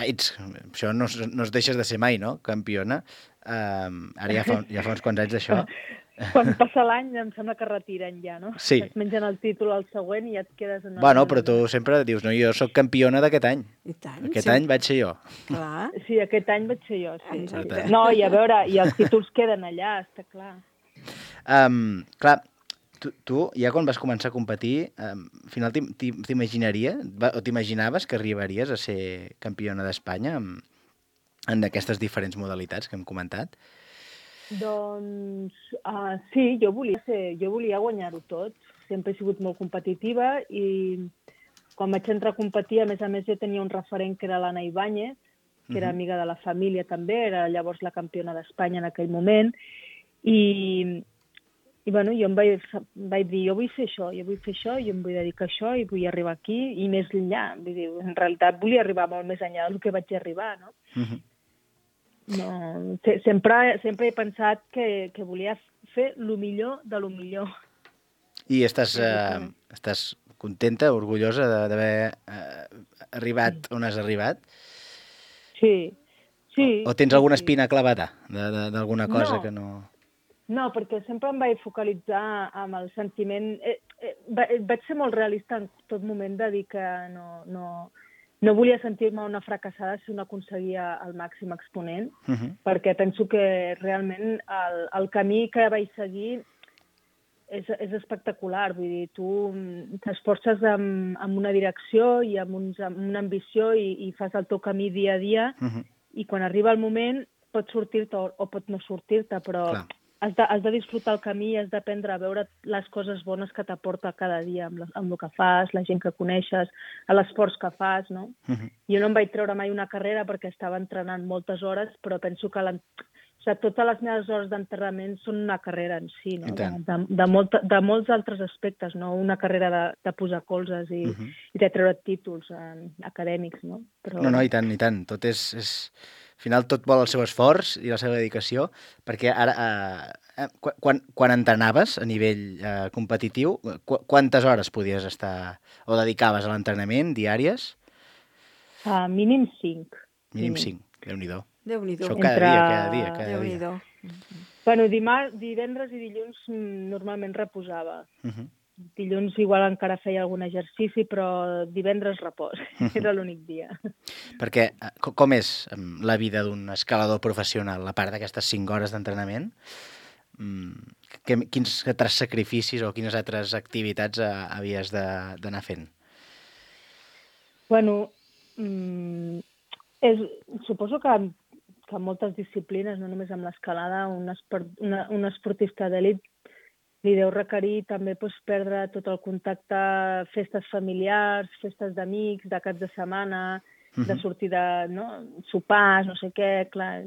ets, això no, no es deixes de ser mai, no?, campiona. Eh, ara ja fa, ja fa uns quants anys d'això. Quan passa l'any em sembla que retiren ja, no? Sí. Es mengen el títol al següent i ja et quedes... En bueno, però tu sempre dius, no, jo sóc campiona d'aquest any. I tant, aquest sí. any vaig ser jo. Clar. Sí, aquest any vaig ser jo, sí. Exacte. No, i a veure, i els títols queden allà, està clar. Um, clar, Tu, tu, ja quan vas començar a competir, eh, al final t'imaginaria, o t'imaginaves que arribaries a ser campiona d'Espanya en, en aquestes diferents modalitats que hem comentat? Doncs uh, sí, jo volia ser, jo volia guanyar-ho tot. Sempre he sigut molt competitiva i quan vaig entrar a competir, a més a més, jo tenia un referent que era l'Anna Ibáñez, que era amiga de la família també, era llavors la campiona d'Espanya en aquell moment, i... I bueno, jo em vaig, vaig dir, jo vull fer això, jo vull fer això, jo em vull dedicar a això i vull arribar aquí i més enllà. Vull dir, en realitat volia arribar molt més enllà del que vaig arribar, no? Uh-huh. No sempre, sempre he pensat que, que volia fer el millor de lo millor. I estàs, eh, estàs contenta, orgullosa d'haver eh, arribat on has arribat? Sí, sí. O, o tens alguna sí. espina clavada d'alguna cosa no. que no... No, perquè sempre em vaig focalitzar amb el sentiment... Eh, eh, vaig ser molt realista en tot moment de dir que no, no, no volia sentir-me una fracassada si no aconseguia el màxim exponent, uh-huh. perquè penso que realment el, el camí que vaig seguir és, és espectacular. Vull dir, tu t'esforces amb, amb una direcció i amb, uns, amb una ambició i, i fas el teu camí dia a dia, uh-huh. i quan arriba el moment pot sortir-te o, o pot no sortir-te, però... Clar. Has de, has de disfrutar el camí i has d'aprendre a veure les coses bones que t'aporta cada dia amb, la, amb el que fas, la gent que coneixes, l'esforç que fas, no? Uh-huh. Jo no em vaig treure mai una carrera perquè estava entrenant moltes hores, però penso que o sigui, totes les meves hores d'enterrament són una carrera en si, no? De, de, de, molta, de molts altres aspectes, no? Una carrera de, de posar colzes i, uh-huh. i de treure títols eh, acadèmics, no? Però... No, no, i tant, i tant. Tot és... és... Al final tot vol el seu esforç i la seva dedicació, perquè ara, eh, quan, quan entrenaves a nivell eh, competitiu, qu quantes hores podies estar o dedicaves a l'entrenament diàries? Uh, mínim cinc. Mínim cinc, Déu-n'hi-do. Déu-n'hi-do. Això cada Entre... dia, cada dia, cada Déu-n'hi-do. dia. Bueno, dimarts, divendres i dilluns normalment reposava. Uh -huh. Dilluns igual encara feia algun exercici, però divendres repòs. Era l'únic dia. Perquè com és la vida d'un escalador professional, a part d'aquestes cinc hores d'entrenament? Quins altres sacrificis o quines altres activitats havies d'anar fent? Bueno, mm, és, suposo que, que en moltes disciplines, no només amb l'escalada, un, esport, una, un esportista d'elit li deu requerir també doncs, perdre tot el contacte, festes familiars, festes d'amics, de caps de setmana, uh-huh. de sortir de no, sopars, no sé què. Clar,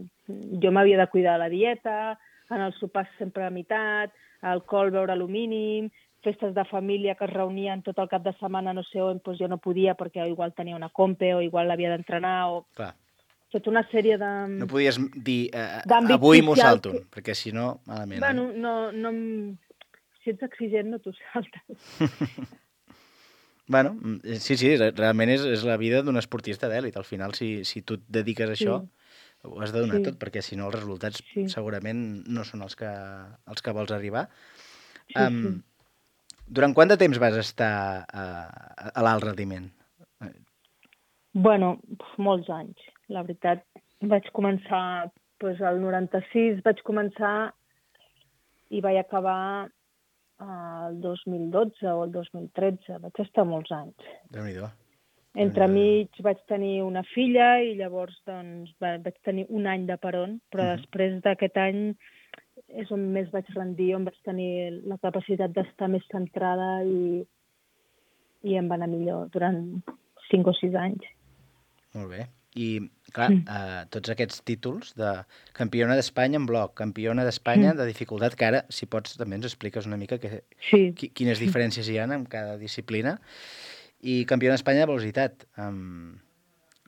jo m'havia de cuidar de la dieta, en els sopars sempre a meitat, alcohol beure-lo mínim, festes de família que es reunien tot el cap de setmana, no sé on, doncs jo no podia perquè igual tenia una compe o igual l'havia d'entrenar o... Clar. Tota una sèrie de... No podies dir eh, avui m'ho salto, que... perquè si no, malament. Bueno, eh? no, no... Si ets exigent, no t'ho saltes. Bueno, sí, sí, realment és, és la vida d'un esportista d'èlit. Al final, si, si tu et dediques a això, sí. ho has de donar sí. tot, perquè si no els resultats sí. segurament no són els que, els que vols arribar. Sí, um, sí. Durant quant de temps vas estar a, a l'alt rendiment? Bueno, molts anys. La veritat, vaig començar doncs, al noranta-sis, vaig començar i vaig acabar el dos mil dotze o el dos mil tretze. Vaig estar molts anys. Déu-n'hi-do. Entremig vaig tenir una filla i llavors doncs, vaig tenir un any de peron, però uh-huh. després d'aquest any és on més vaig rendir, on vaig tenir la capacitat d'estar més centrada i, i em va anar millor durant cinc o sis anys. Molt bé. I, clar, mm. eh, tots aquests títols de campiona d'Espanya en bloc, campiona d'Espanya mm. de dificultat, que ara, si pots, també ens expliques una mica que, sí. quines diferències hi ha en cada disciplina, i campiona d'Espanya de velocitat. Um,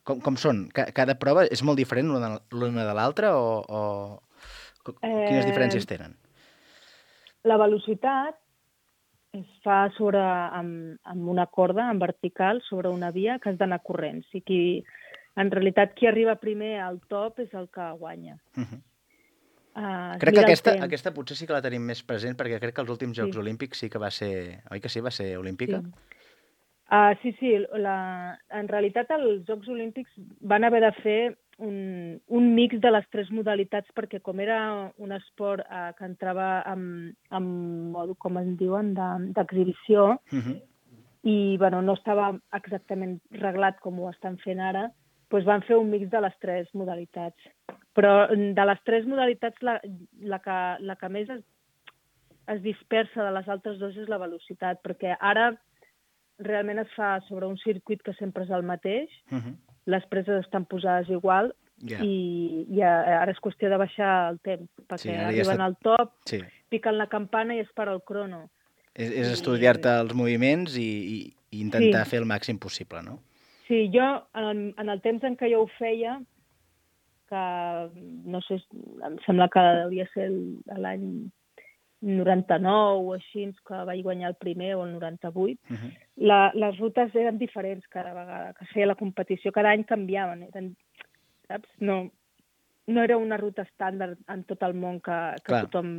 com, com són? Cada prova és molt diferent l'una de l'altra o, o quines diferències tenen? La velocitat es fa sobre, amb, amb una corda en vertical sobre una via que has d'anar corrent. O sigui, en realitat, qui arriba primer al top és el que guanya. Uh-huh. uh, crec que aquesta, aquesta potser sí que la tenim més present, perquè crec que els últims Jocs sí. Olímpics sí que va ser... Oi que sí? Va ser olímpica? Sí, uh, sí, sí la, en realitat els Jocs Olímpics van haver de fer un, un mix de les tres modalitats, perquè com era un esport uh, que entrava amb, amb modo, com en diuen, d'exhibició, uh-huh. i bueno, no estava exactament reglat com ho estan fent ara, doncs van fer un mix de les tres modalitats. Però de les tres modalitats, la, la, que, la que més es, es dispersa de les altres dues és la velocitat, perquè ara realment es fa sobre un circuit que sempre és el mateix, uh-huh. les preses estan posades igual, yeah. i, i ara és qüestió de baixar el temps, perquè sí, arriben ja està... al top, sí. piquen la campana i es para el crono. És, és estudiar-te els moviments i, i, i intentar sí. fer el màxim possible, no? Sí, jo, en, en el temps en què jo ho feia, que no sé, em sembla que hauria ser l'any noranta-nou o així, que vaig guanyar el primer, o el noranta-vuit, uh-huh. la, les rutes eren diferents cada vegada que es feia la competició. Cada any canviaven, eren, saps? No, no era una ruta estàndard en tot el món que, que tothom...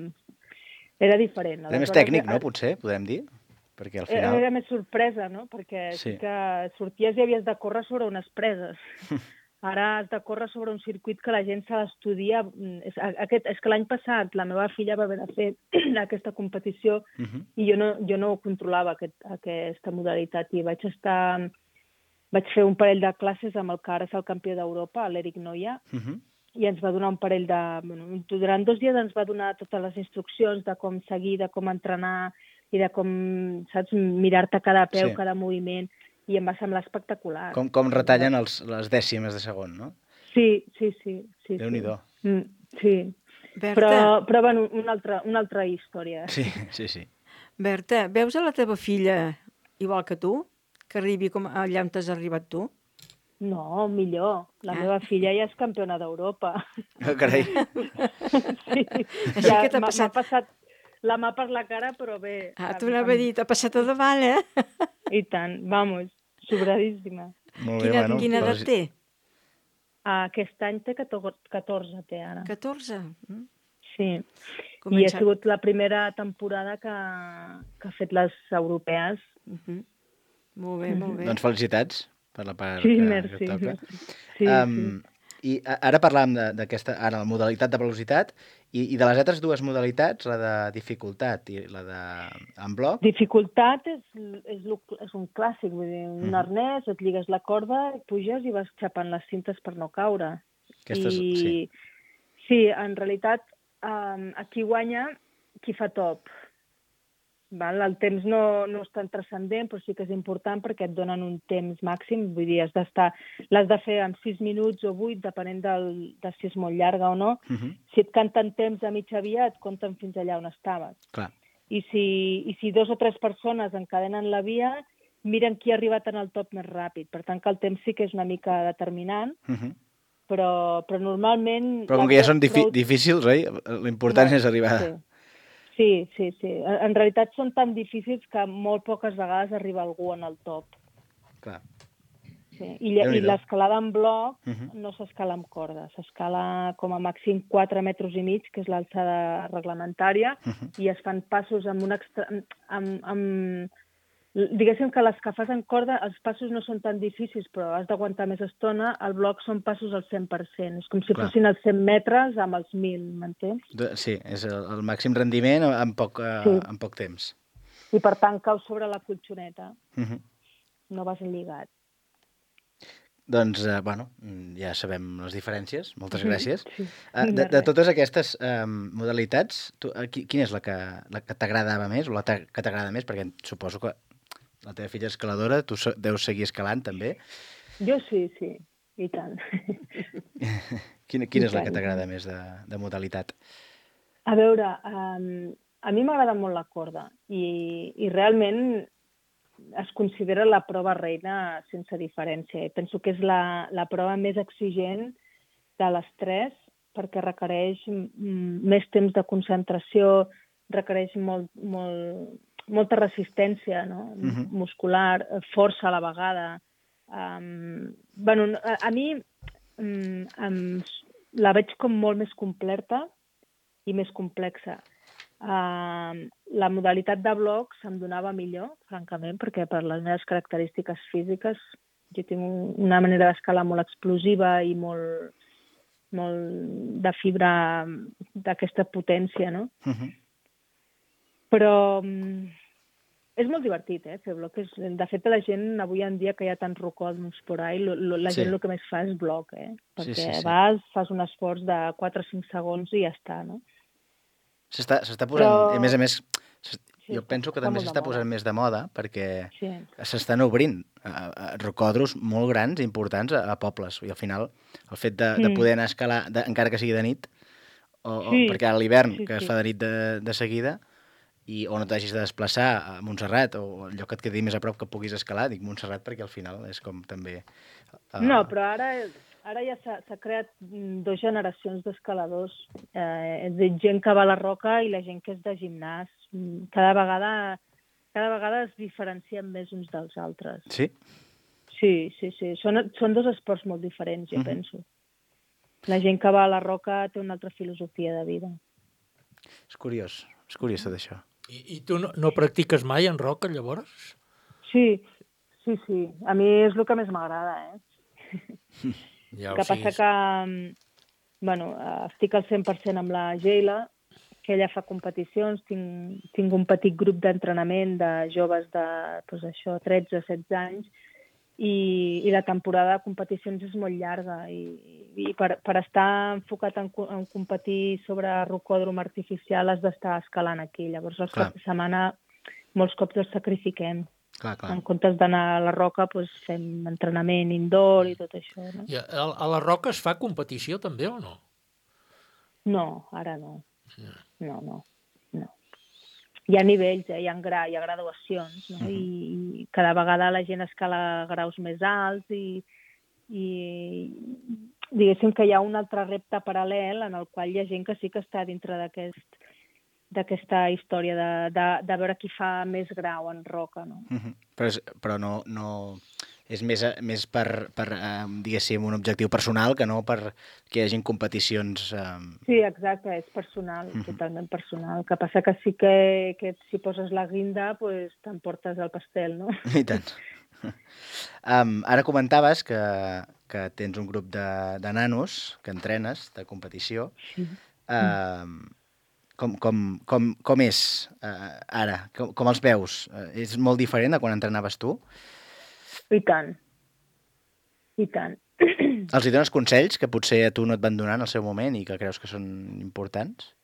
Era diferent. Era més tècnic, no, potser, podem dir? Perquè al final... Era més sorpresa, no? Perquè sí. que sorties i havies de córrer sobre unes preses. Ara has de córrer sobre un circuit que la gent s'ha d'estudiar. És, aquest, és que l'any passat la meva filla va haver de fer aquesta competició uh-huh. i jo no, jo no controlava aquest, aquesta modalitat i vaig estar... Vaig fer un parell de classes amb el que ara és el campió d'Europa, l'Eric Noia, uh-huh. i ens va donar un parell de... Bueno, durant dos dies ens va donar totes les instruccions de com seguir, de com entrenar i de com, saps, mirar-te cada peu, sí. cada moviment, i em va semblar espectacular. Com, com retallen els, les dècimes de segon, no? Sí, sí, sí. sí Déu-n'hi-do. Sí, mm, sí. Però, però bueno, una altra, una altra història. Sí, sí, sí. Berta, veus a la teva filla igual que tu? Que arribi com allà on t'has arribat tu? No, millor. La Ah. meva filla ja és campiona d'Europa. Oh, carai. Sí, Així ja que t'ha m'ha passat- m'ha passat la mà per la cara, però bé. Ah, t'ho anava a dir, t'ha passat a davant, eh? I tant, vamos, sobradíssima. Molt bé, Quina, bueno, quina edat doncs- té? Aquest any té catorze, té ara. catorze? Mm. Sí. I ha Comença- sigut la primera temporada que, que ha fet les europees. Mhm. Molt bé, molt bé. Doncs felicitats per la part Sí, que, merci, que toca. merci. Sí, um, I a- ara parlàvem de- d'aquesta, ara la modalitat de velocitat i, i de les altres dues modalitats, la de dificultat i la de en bloc. Dificultat és, és, lo, és un clàssic, vull dir, un Mhm. arnès, et lligues la corda, puges i vas xapant les cintes per no caure. Aquestes, I, sí. Sí, en realitat, um, aquí guanya qui fa top. Val? El temps no, no és tan transcendent, però sí que és important perquè et donen un temps màxim. Vull dir, has d'estar, l'has de fer en sis minuts o vuit, depenent del, de si és molt llarga o no. Uh -huh. Si et canten temps a mitja via, et compten fins allà on estaves. Clar. I si, i si dos o tres persones encadenen la via, miren qui ha arribat en el top més ràpid. Per tant, que el temps sí que és una mica determinant, Uh -huh. però, però normalment... Però com que ja són difi difícils, oi? L'important és arribar... Sí. Sí, sí, sí. En, en realitat són tan difícils que molt poques vegades arriba algú en el top. Clar. Sí. I, lle- i Déu-n'hi-do. l'escalada en bloc Uh -huh. no s'escala amb corda, s'escala com a màxim quatre metres i mig, que és l'alçada reglamentària, Uh -huh. i es fan passos amb un extra... amb, amb... Diguéssim que les que fas en corda, els passos no són tan difícils, però has d'aguantar més estona. El bloc són passos al cent per cent. És com si Clar. fossin els cent metres amb els mil, m'entens? De- Sí, és el, el màxim rendiment en poc, uh, Sí. en poc temps. I per tant caus sobre la colxoneta. Uh -huh. No vas lligat. Doncs, uh, bueno, ja sabem les diferències. Moltes gràcies. Sí. Uh, de, De de res. totes aquestes um, modalitats, tu, uh, qui- quina és la que, la que t'agradava més o la ta- que t'agrada més? Perquè suposo que la teva filla és escaladora, tu se- deus seguir escalant també. Jo sí, sí, i tant. Quina, quina I és la que tant. t'agrada més de, de modalitat? A veure, um, a mi m'agrada molt la corda i, i realment es considera la prova reina sense diferència. I penso que és la, la prova més exigent de les tres perquè requereix mm, més temps de concentració, requereix molt, molt, molta resistència, no? Mhm. Muscular, força a la vegada. Um, bueno, a, a mi um, um, la veig com molt més completa i més complexa. Uh, la modalitat de bloc se'm donava millor, francament, perquè per les meves característiques físiques jo tinc un- una manera d'escalar molt explosiva i molt, molt de fibra d'aquesta potència, no? Uh -huh. Però um, és molt divertit, eh, fer bloc. És, de fet, la gent, avui en dia que hi ha tants rocòdroms por ahí, lo, lo, la Sí. gent el que més fa és bloc, eh? Perquè Sí, sí, sí. vas, fas un esforç de quatre o cinc segons i ja està, no? S'està s'està posant, Però- i a més a més, s- Sí, jo està- penso que està també molt de s'està moda. posant més de moda perquè Sí. s'estan obrint uh, uh, rocòdroms molt grans i importants a, a pobles. I al final, el fet de, de Mm. poder anar a escalar, de, encara que sigui de nit, o, Sí. o perquè a l'hivern, Sí, que es sí. fa de nit de, de seguida, i o no t'hagis de desplaçar a Montserrat, o el lloc que et quedi més a prop que puguis escalar, dic Montserrat perquè al final és com també... Uh, No, però ara, ara ja s'ha s'ha creat mm, dos generacions d'escaladors. Eh, és a dir, gent que va a la roca i la gent que és de gimnàs. Mm, Cada vegada, cada vegada es diferencien més uns dels altres. Sí? Sí, sí, sí. Són, són dos esports molt diferents, jo Mhm. penso. La gent que va a la roca té una altra filosofia de vida. És curiós, és curiós tot això. I, i tu no, no practiques mai en roca, llavors? Sí, sí, sí. A mi és el que més m'agrada, eh? Ja, El que passa que, mm, bueno, eh, estic al cent per cent amb la Geila, que ella fa competicions, tinc, tinc un petit grup d'entrenament de joves de, doncs això, tretze, setze anys, i, i la temporada de competicions és molt llarga, i, i per, per estar enfocat en, co- en competir sobre rocòdrom artificial has d'estar escalant aquí. Llavors, els Clar. caps de setmana molts cops els sacrifiquem. Clar, clar. En comptes d'anar a la roca, doncs, fem entrenament indoor i tot això, no? I a, a la roca es fa competició també o no? No, ara no. No, no, no. Hi ha nivells, eh? hi, ha gra, hi ha graduacions, no? I, i cada vegada la gent escala graus més alts i, i diguéssim que hi ha un altre repte paral·lel en el qual hi ha gent que sí que està dintre d'aquest d'aquesta història de, de, de veure qui fa més grau en roca, no? Uh -huh. Però, és, però no, no... És més, més per, per eh, diguéssim, un objectiu personal que no per que hi hagin competicions... Eh... Sí, exacte, és personal, uh -huh. totalment personal. El que passa que sí que, que si poses la guinda, pues, t'emportes el pastel, no? I tant. Um, ara comentaves que, que tens un grup de, de nanos que entrenes de competició. Sí. Um, com, com, com, com és uh, ara? Com, com els veus? Uh, és molt diferent de quan entrenaves tu? I tant. I tant. Els hi dones consells que potser a tu no et van donar en el seu moment i que creus que són importants?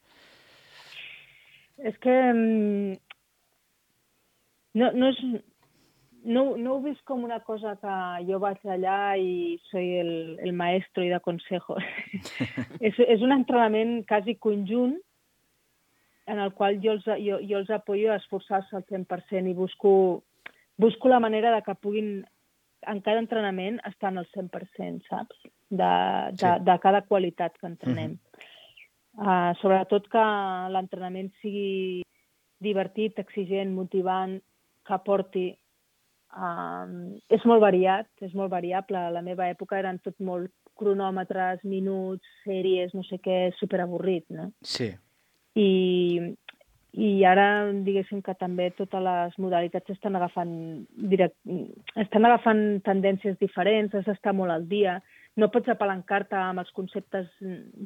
És que um, no, no, és, no, no ho vist com una cosa que jo vaig allà i soy el, el maestro i de consejos. és, és un entrenament quasi conjunt en el qual jo els, jo, jo els apoyo a esforçar-se al cent per cent i busco, busco la manera de que puguin en cada entrenament estar al cent per cent, saps? De, de, sí. de cada qualitat que entrenem. Uh -huh. uh, sobretot que l'entrenament sigui divertit, exigent, motivant, que aporti. Uh, és molt variat, és molt variable. A la meva època eren tot molt cronòmetres, minuts, sèries, no sé què, superavorrit, no? Sí. I, i ara, diguéssim que també totes les modalitats estan agafant, direct, estan agafant tendències diferents, has d'estar molt al dia, no pots apalancar-te amb els conceptes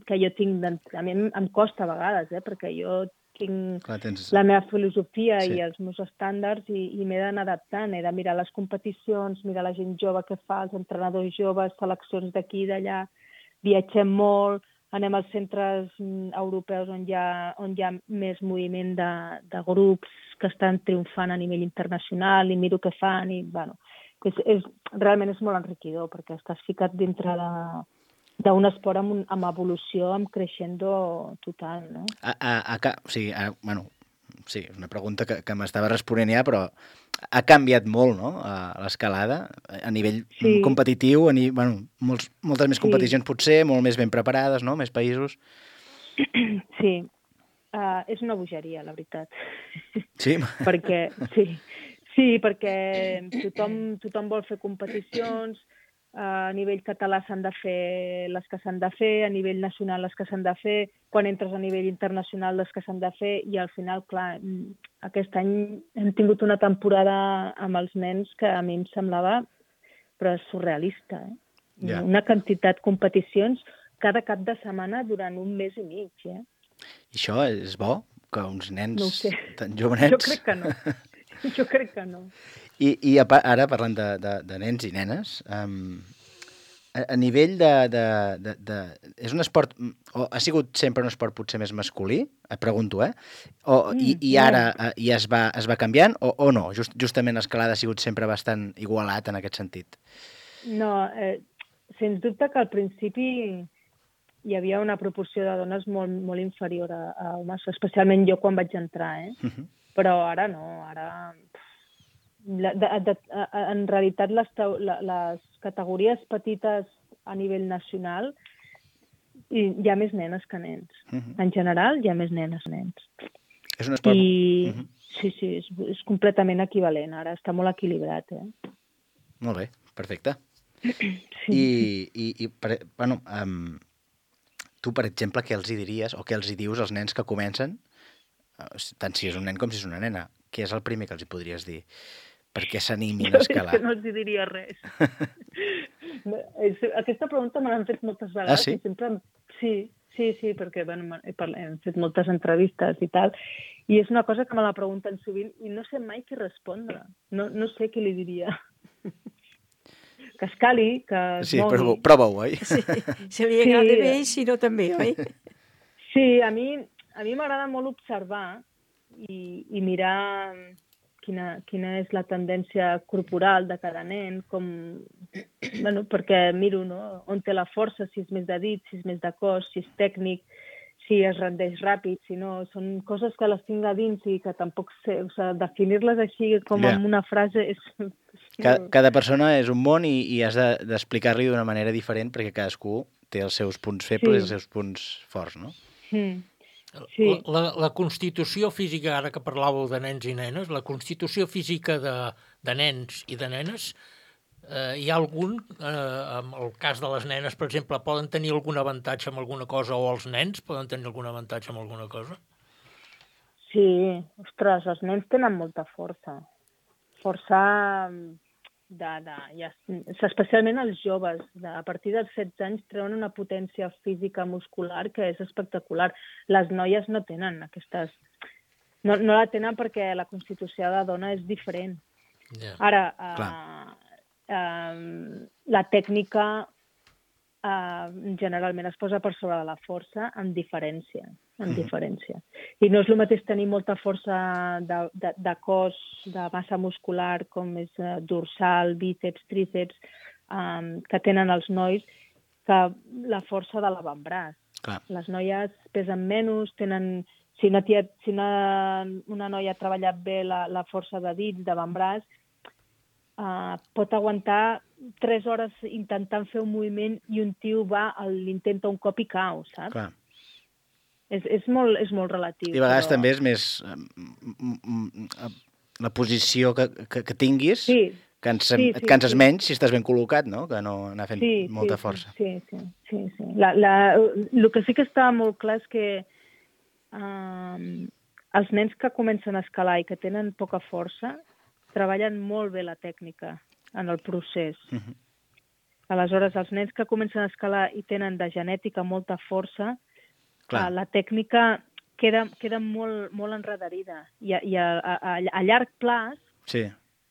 que jo tinc, a mi em, em costa a vegades, eh, perquè jo tinc Clar, tens... la meva filosofia sí. i els meus estàndards i, i m'he d'anar adaptant, he de mirar les competicions, mirar la gent jove que fa, els entrenadors joves, seleccions d'aquí i d'allà, viatgem molt, anem als centres europeus on hi ha, on hi ha més moviment de, de grups que estan triomfant a nivell internacional i miro què fan i, bueno, és, és, realment és molt enriquidor perquè estàs ficat dintre d'un esport amb, amb evolució, amb creixendo total, no? A, a, a, o sigui, a, bueno, sí, és una pregunta que, que m'estava responent ja, però ha canviat molt, no?, l'escalada, a nivell sí. competitiu, a ni, bueno, molts, moltes més competicions sí. potser, molt més ben preparades, no?, més països. Sí, uh, és una bogeria, la veritat. Sí? perquè, sí, sí, perquè tothom, tothom vol fer competicions, a nivell català s'han de fer les que s'han de fer, a nivell nacional les que s'han de fer, quan entres a nivell internacional les que s'han de fer, i al final, clar, aquest any hem tingut una temporada amb els nens que a mi em semblava però surrealista, eh? Yeah. Una quantitat de competicions cada cap de setmana durant un mes i mig, eh? I això és bo? Que uns nens no sé. tan jovenets... Jo crec que no. Jo crec que no. I, i ara, parlant de, de, de nens i nenes, um, a, a nivell de, de, de, de... És un esport... O ha sigut sempre un esport potser més masculí? Et pregunto, eh? O, mm, i, I ara no. ja es va, es va canviant o, o no? Just, justament l'escalada ha sigut sempre bastant igualat en aquest sentit. No, eh, sens dubte que al principi hi havia una proporció de dones molt, molt inferior a, a homes, especialment jo quan vaig entrar, eh? Uh-huh. Però ara no, ara... De, de, de, en realitat les, les categories petites a nivell nacional hi ha més nenes que nens. Uh-huh. En general hi ha més nenes que nens. És un esport... I, uh-huh. Sí, sí, és, és completament equivalent. Ara està molt equilibrat, eh? Molt bé, perfecte. Sí. I, i, i per, bueno, um, tu, per exemple, què els hi diries o què els hi dius als nens que comencen, tant si és un nen com si és una nena? Què és el primer que els hi podries dir? Perquè s'animin a escalar. Jo és que no els diria res. Aquesta pregunta me l'han fet moltes vegades. Ah, sí? I sempre... Sí, sí, sí, perquè bueno, hem fet moltes entrevistes i tal, i és una cosa que me la pregunten sovint i no sé mai què respondre. No, no sé què li diria. Que escali, que es sí, mogui. Sí, prova-ho, oi? Sí, si li agrada sí. bé, si no també, oi? Sí, a mi a mi m'agrada molt observar i, i mirar... Quina, quina és la tendència corporal de cada nen, com, bueno, perquè miro, no?, on té la força, si és més de dit, si és més de cos, si és tècnic, si es rendeix ràpid, si no, són coses que les tinc a dins i que tampoc sé, o sigui, definir-les així com yeah. amb una frase és, Cada, cada persona és un món i, i has de- d'explicar-li d'una manera diferent perquè cadascú té els seus punts febles Sí. i els seus punts forts, no? Mm. Sí. La, la, la constitució física, ara que parlàveu de nens i nenes, la constitució física de, de nens i de nenes, eh, hi ha algun, eh, en el cas de les nenes, per exemple, poden tenir algun avantatge amb alguna cosa, o els nens poden tenir algun avantatge amb alguna cosa? Sí, ostres, els nens tenen molta força. Força de, de, ja, especialment els joves. De, a partir dels setze anys treuen una potència física muscular que és espectacular. Les noies no tenen aquestes... No, no la tenen perquè la constitució de la dona és diferent. Yeah. Ara, eh, eh, la tècnica eh, generalment es posa per sobre de la força amb diferència. amb diferència. I no és el mateix tenir molta força de, de, de cos, de massa muscular, com és uh, dorsal, bíceps, tríceps, um, que tenen els nois, que la força de l'avantbraç. Clar. Les noies pesen menys, tenen... Si una, tia, si una, una noia ha treballat bé la, la força de dits, d'avantbraç, uh, pot aguantar tres hores intentant fer un moviment i un tio va, l'intenta un cop i cau, saps? Clar. És, és, molt, és molt relatiu. I a vegades però... també és més eh, la posició que, que, que tinguis, sí. cansa, sí, sí, et canses sí. menys si estàs ben col·locat, no? Que no anar fent sí, molta sí, força. Sí, sí, sí. sí. La, la, el que sí que està molt clar és que um, els nens que comencen a escalar i que tenen poca força treballen molt bé la tècnica en el procés. Uh -huh. Aleshores, els nens que comencen a escalar i tenen de genètica molta força, Clar. la tècnica queda, queda molt, molt enredarida i, a, i a, a, a llarg plaç sí.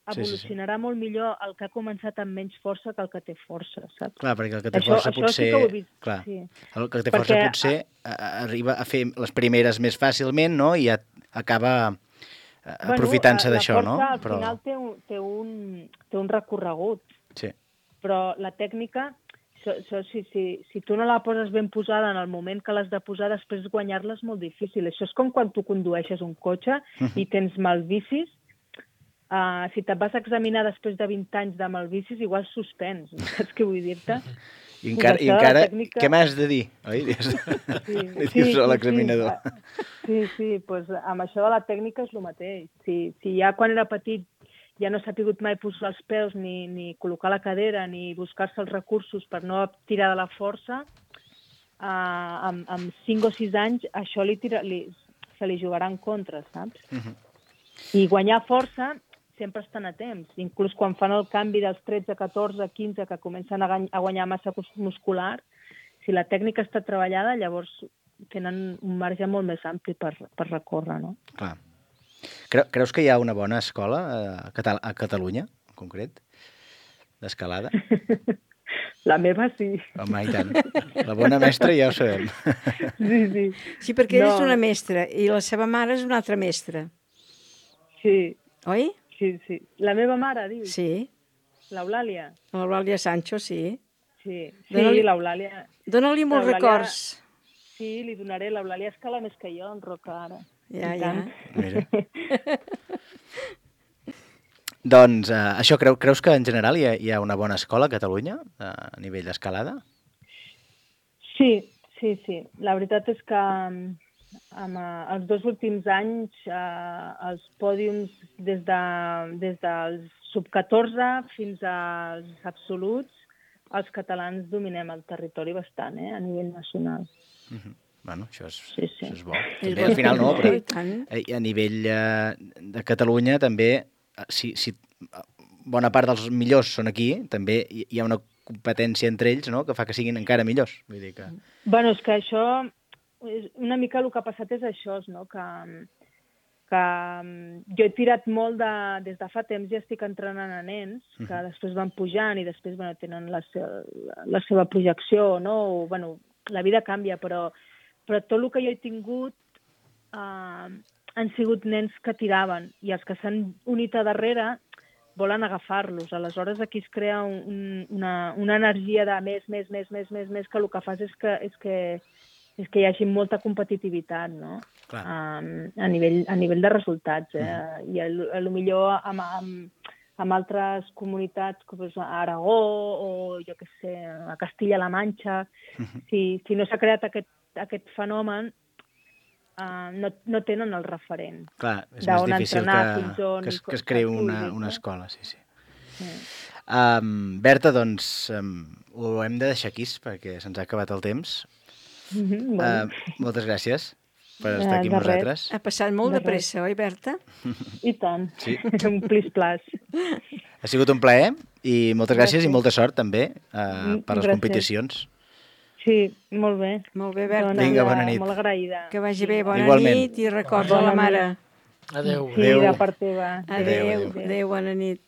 evolucionarà sí, sí, sí. molt millor el que ha començat amb menys força que el que té força, saps? Clar, perquè el que té això, força això potser... Sí que ho he vist. Clar, sí. el que té perquè, força potser a, a, arriba a fer les primeres més fàcilment, no? I a, acaba aprofitant-se bueno, d'això, no? La força al Però... final té un, té, un, té un recorregut. Sí. Però la tècnica... So, so, si, si, si tu no la poses ben posada en el moment que l'has de posar, després guanyar-la és molt difícil. Això és com quan tu condueixes un cotxe uh-huh. i tens malvicis. Uh, si te'n vas a examinar després de vint anys de malvicis, igual suspens. Saps què vull dir-te? I encara, i encara tècnica... què m'has de dir? Oi? Sí, Li sí, dius sí, a l'examinador. Sí, sí, pues, amb això de la tècnica és el mateix. Si, si ja quan era petit ja no s'ha pogut mai posar els peus, ni, ni col·locar la cadera, ni buscar-se els recursos per no tirar de la força, uh, amb, amb cinc o sis anys això li tira, li, se li jugarà en contra, saps? Uh-huh. I guanyar força sempre estan a temps. Inclús quan fan el canvi dels tretze, catorze, quinze, que comencen a, a guanyar massa muscular, si la tècnica està treballada, llavors tenen un marge molt més ampli per, per recórrer, no? Clar. Creus que hi ha una bona escola a, Catal a Catalunya, en concret, d'escalada? La meva sí. Home, i tant. La bona mestra ja ho sabem. Sí, sí. Sí, perquè ella no. és una mestra i la seva mare és una altra mestra. Sí. Oi? Sí, sí. La meva mare, dius? Sí. L'Eulàlia? L'Eulàlia Sancho, sí. Sí, Dóna-li... sí l'Eulàlia... Dóna-li molts records. Sí, li donaré. L'Eulàlia escala més que jo, en roca, ara. Ja, ja. Mira. Doncs, uh, això, creu, creus que en general hi ha, hi ha una bona escola a Catalunya uh, a nivell d'escalada? Sí, sí, sí. La veritat és que amb, uh, els dos últims anys uh, els pòdiums des, de, des dels sub catorze fins als absoluts, els catalans dominem el territori bastant, eh, a nivell nacional. Uh-huh. Bueno, això és, sí, sí. això és bo. També, al final no, però a nivell eh, de Catalunya també, si, si bona part dels millors són aquí, també hi ha una competència entre ells, no?, que fa que siguin encara millors. Vull dir que... Bueno, és que això, una mica el que ha passat és això, no?, que, que jo he tirat molt de... Des de fa temps ja estic entrenant a nens, que uh-huh. després van pujant i després bueno, tenen la, se, la seva projecció, no? O, bueno, la vida canvia, però però tot el que jo he tingut eh, han sigut nens que tiraven i els que s'han unit a darrere volen agafar-los. Aleshores aquí es crea un, una, una energia de més, més, més, més, més, més, que el que fas és que, és que, és que hi hagi molta competitivitat, no? Um, a, nivell, a nivell de resultats. Eh? Mm. I a, a lo millor amb, amb, amb altres comunitats, com és a Aragó o, jo què sé, a Castilla-La Manxa. Si, si no s'ha creat aquest, aquest fenomen, uh, no, no tenen el referent. Clar, és més difícil que, que, es, que es creï una, una escola, sí, sí. sí. Um, Berta, doncs, um, ho hem de deixar aquí, perquè se'ns ha acabat el temps. Mm-hmm, bueno. uh, moltes gràcies per estar aquí amb nosaltres. Ha passat molt de, de pressa, oi, Berta? I tant. Sí. Un plis-plas. Ha sigut un plaer i moltes gràcies, gràcies. I molta sort també uh, per les gràcies. Competicions. Sí, molt bé. Molt bé, Berta. Vinga, bona nit. Molt agraïda. Que vagi bé, bona Igualment. Nit i recorda la mare. Adéu. Sí, adéu. de part teva. Adéu, adéu, adéu. Adéu, bona nit.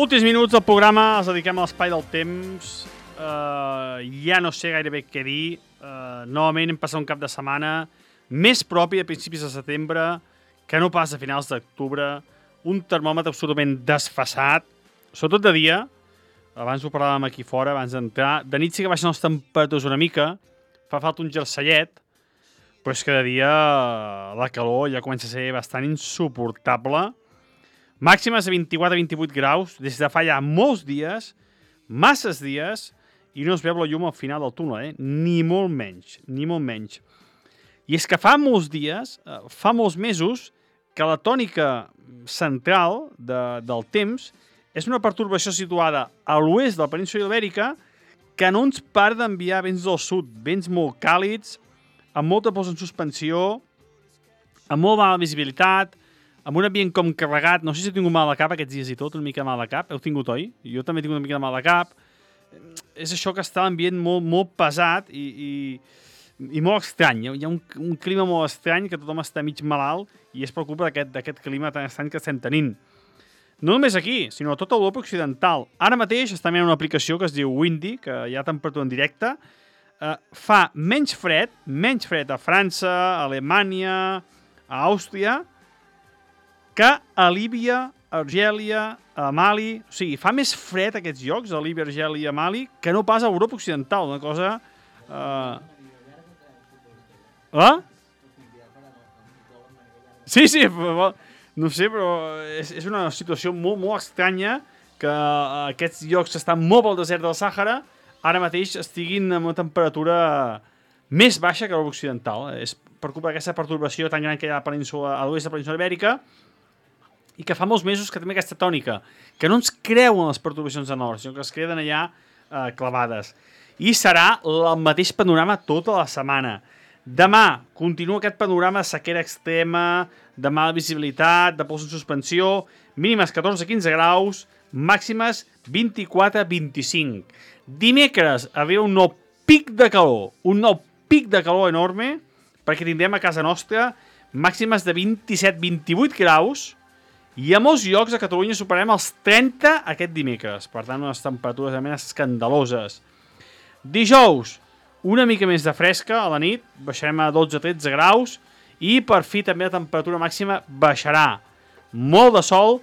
Últims minuts del programa els dediquem a l'espai del temps. Uh, ja no sé gairebé què dir. Uh, novament hem passat un cap de setmana més propi a principis de setembre que no pas a finals d'octubre. Un termòmetre absolutament desfasat, sobretot de dia. Abans ho parlàvem aquí fora, abans d'entrar. De nit sí que baixen les temperatures una mica. Fa falta un jersellet, però és que de dia la calor ja comença a ser bastant insuportable. Màximes de vint-i-quatre a vint-i-vuit graus des de fa ja molts dies, masses dies, i no es veu la llum al final del túnel, eh? Ni molt menys, ni molt menys. I és que fa molts dies, fa molts mesos, que la tònica central de, del temps és una pertorbació situada a l'oest de la península Ibèrica que no ens para d'enviar vents del sud, vents molt càlids, amb molta pols en suspensió, amb molt mala visibilitat, amb un ambient com carregat. No sé si he tingut mal de cap aquests dies i tot, una mica mal de cap. Heu tingut, oi? Jo també he tingut una mica de mal de cap. És això que està l'ambient molt, molt pesat i, i, i molt estrany. Hi ha un, un clima molt estrany que tothom està mig malalt i és per culpa d'aquest clima tan estrany que estem tenint. No només aquí, sinó a tota Europa occidental. Ara mateix està mirant una aplicació que es diu Windy, que hi ha temperatura en directe. Uh, fa menys fred, menys fred a França, a Alemanya, a Àustria, que a Líbia, a Argèlia, a Mali... O sigui, fa més fred aquests llocs, a Líbia, Argèlia i a Mali, que no pas a Europa occidental. Una cosa... Uh... Ah? Sí, sí, però, no sé, però és, és una situació molt, molt estranya que aquests llocs que estan molt pel desert del Sàhara ara mateix estiguin amb una temperatura més baixa que l'Europa occidental. És per culpa d'aquesta pertorbació tan gran que hi ha a, península, a l'oest de la península Ibèrica, i que fa molts mesos que també aquesta tònica, que no ens creuen les pertorbacions de nord, sinó que es queden allà eh, clavades. I serà el mateix panorama tota la setmana. Demà continua aquest panorama de sequera extrema, de mala visibilitat, de pols en suspensió, mínimes catorze a quinze graus, màximes vint-i-quatre a vint-i-cinc. Dimecres arriba un nou pic de calor, un nou pic de calor enorme, perquè tindrem a casa nostra màximes de vint-i-set a vint-i-vuit graus, i a molts llocs a Catalunya superarem els trenta aquest dimecres. Per tant, unes temperatures realment escandaloses. Dijous, una mica més de fresca a la nit, baixarem a dotze a tretze graus, i per fi també la temperatura màxima baixarà. Molt de sol,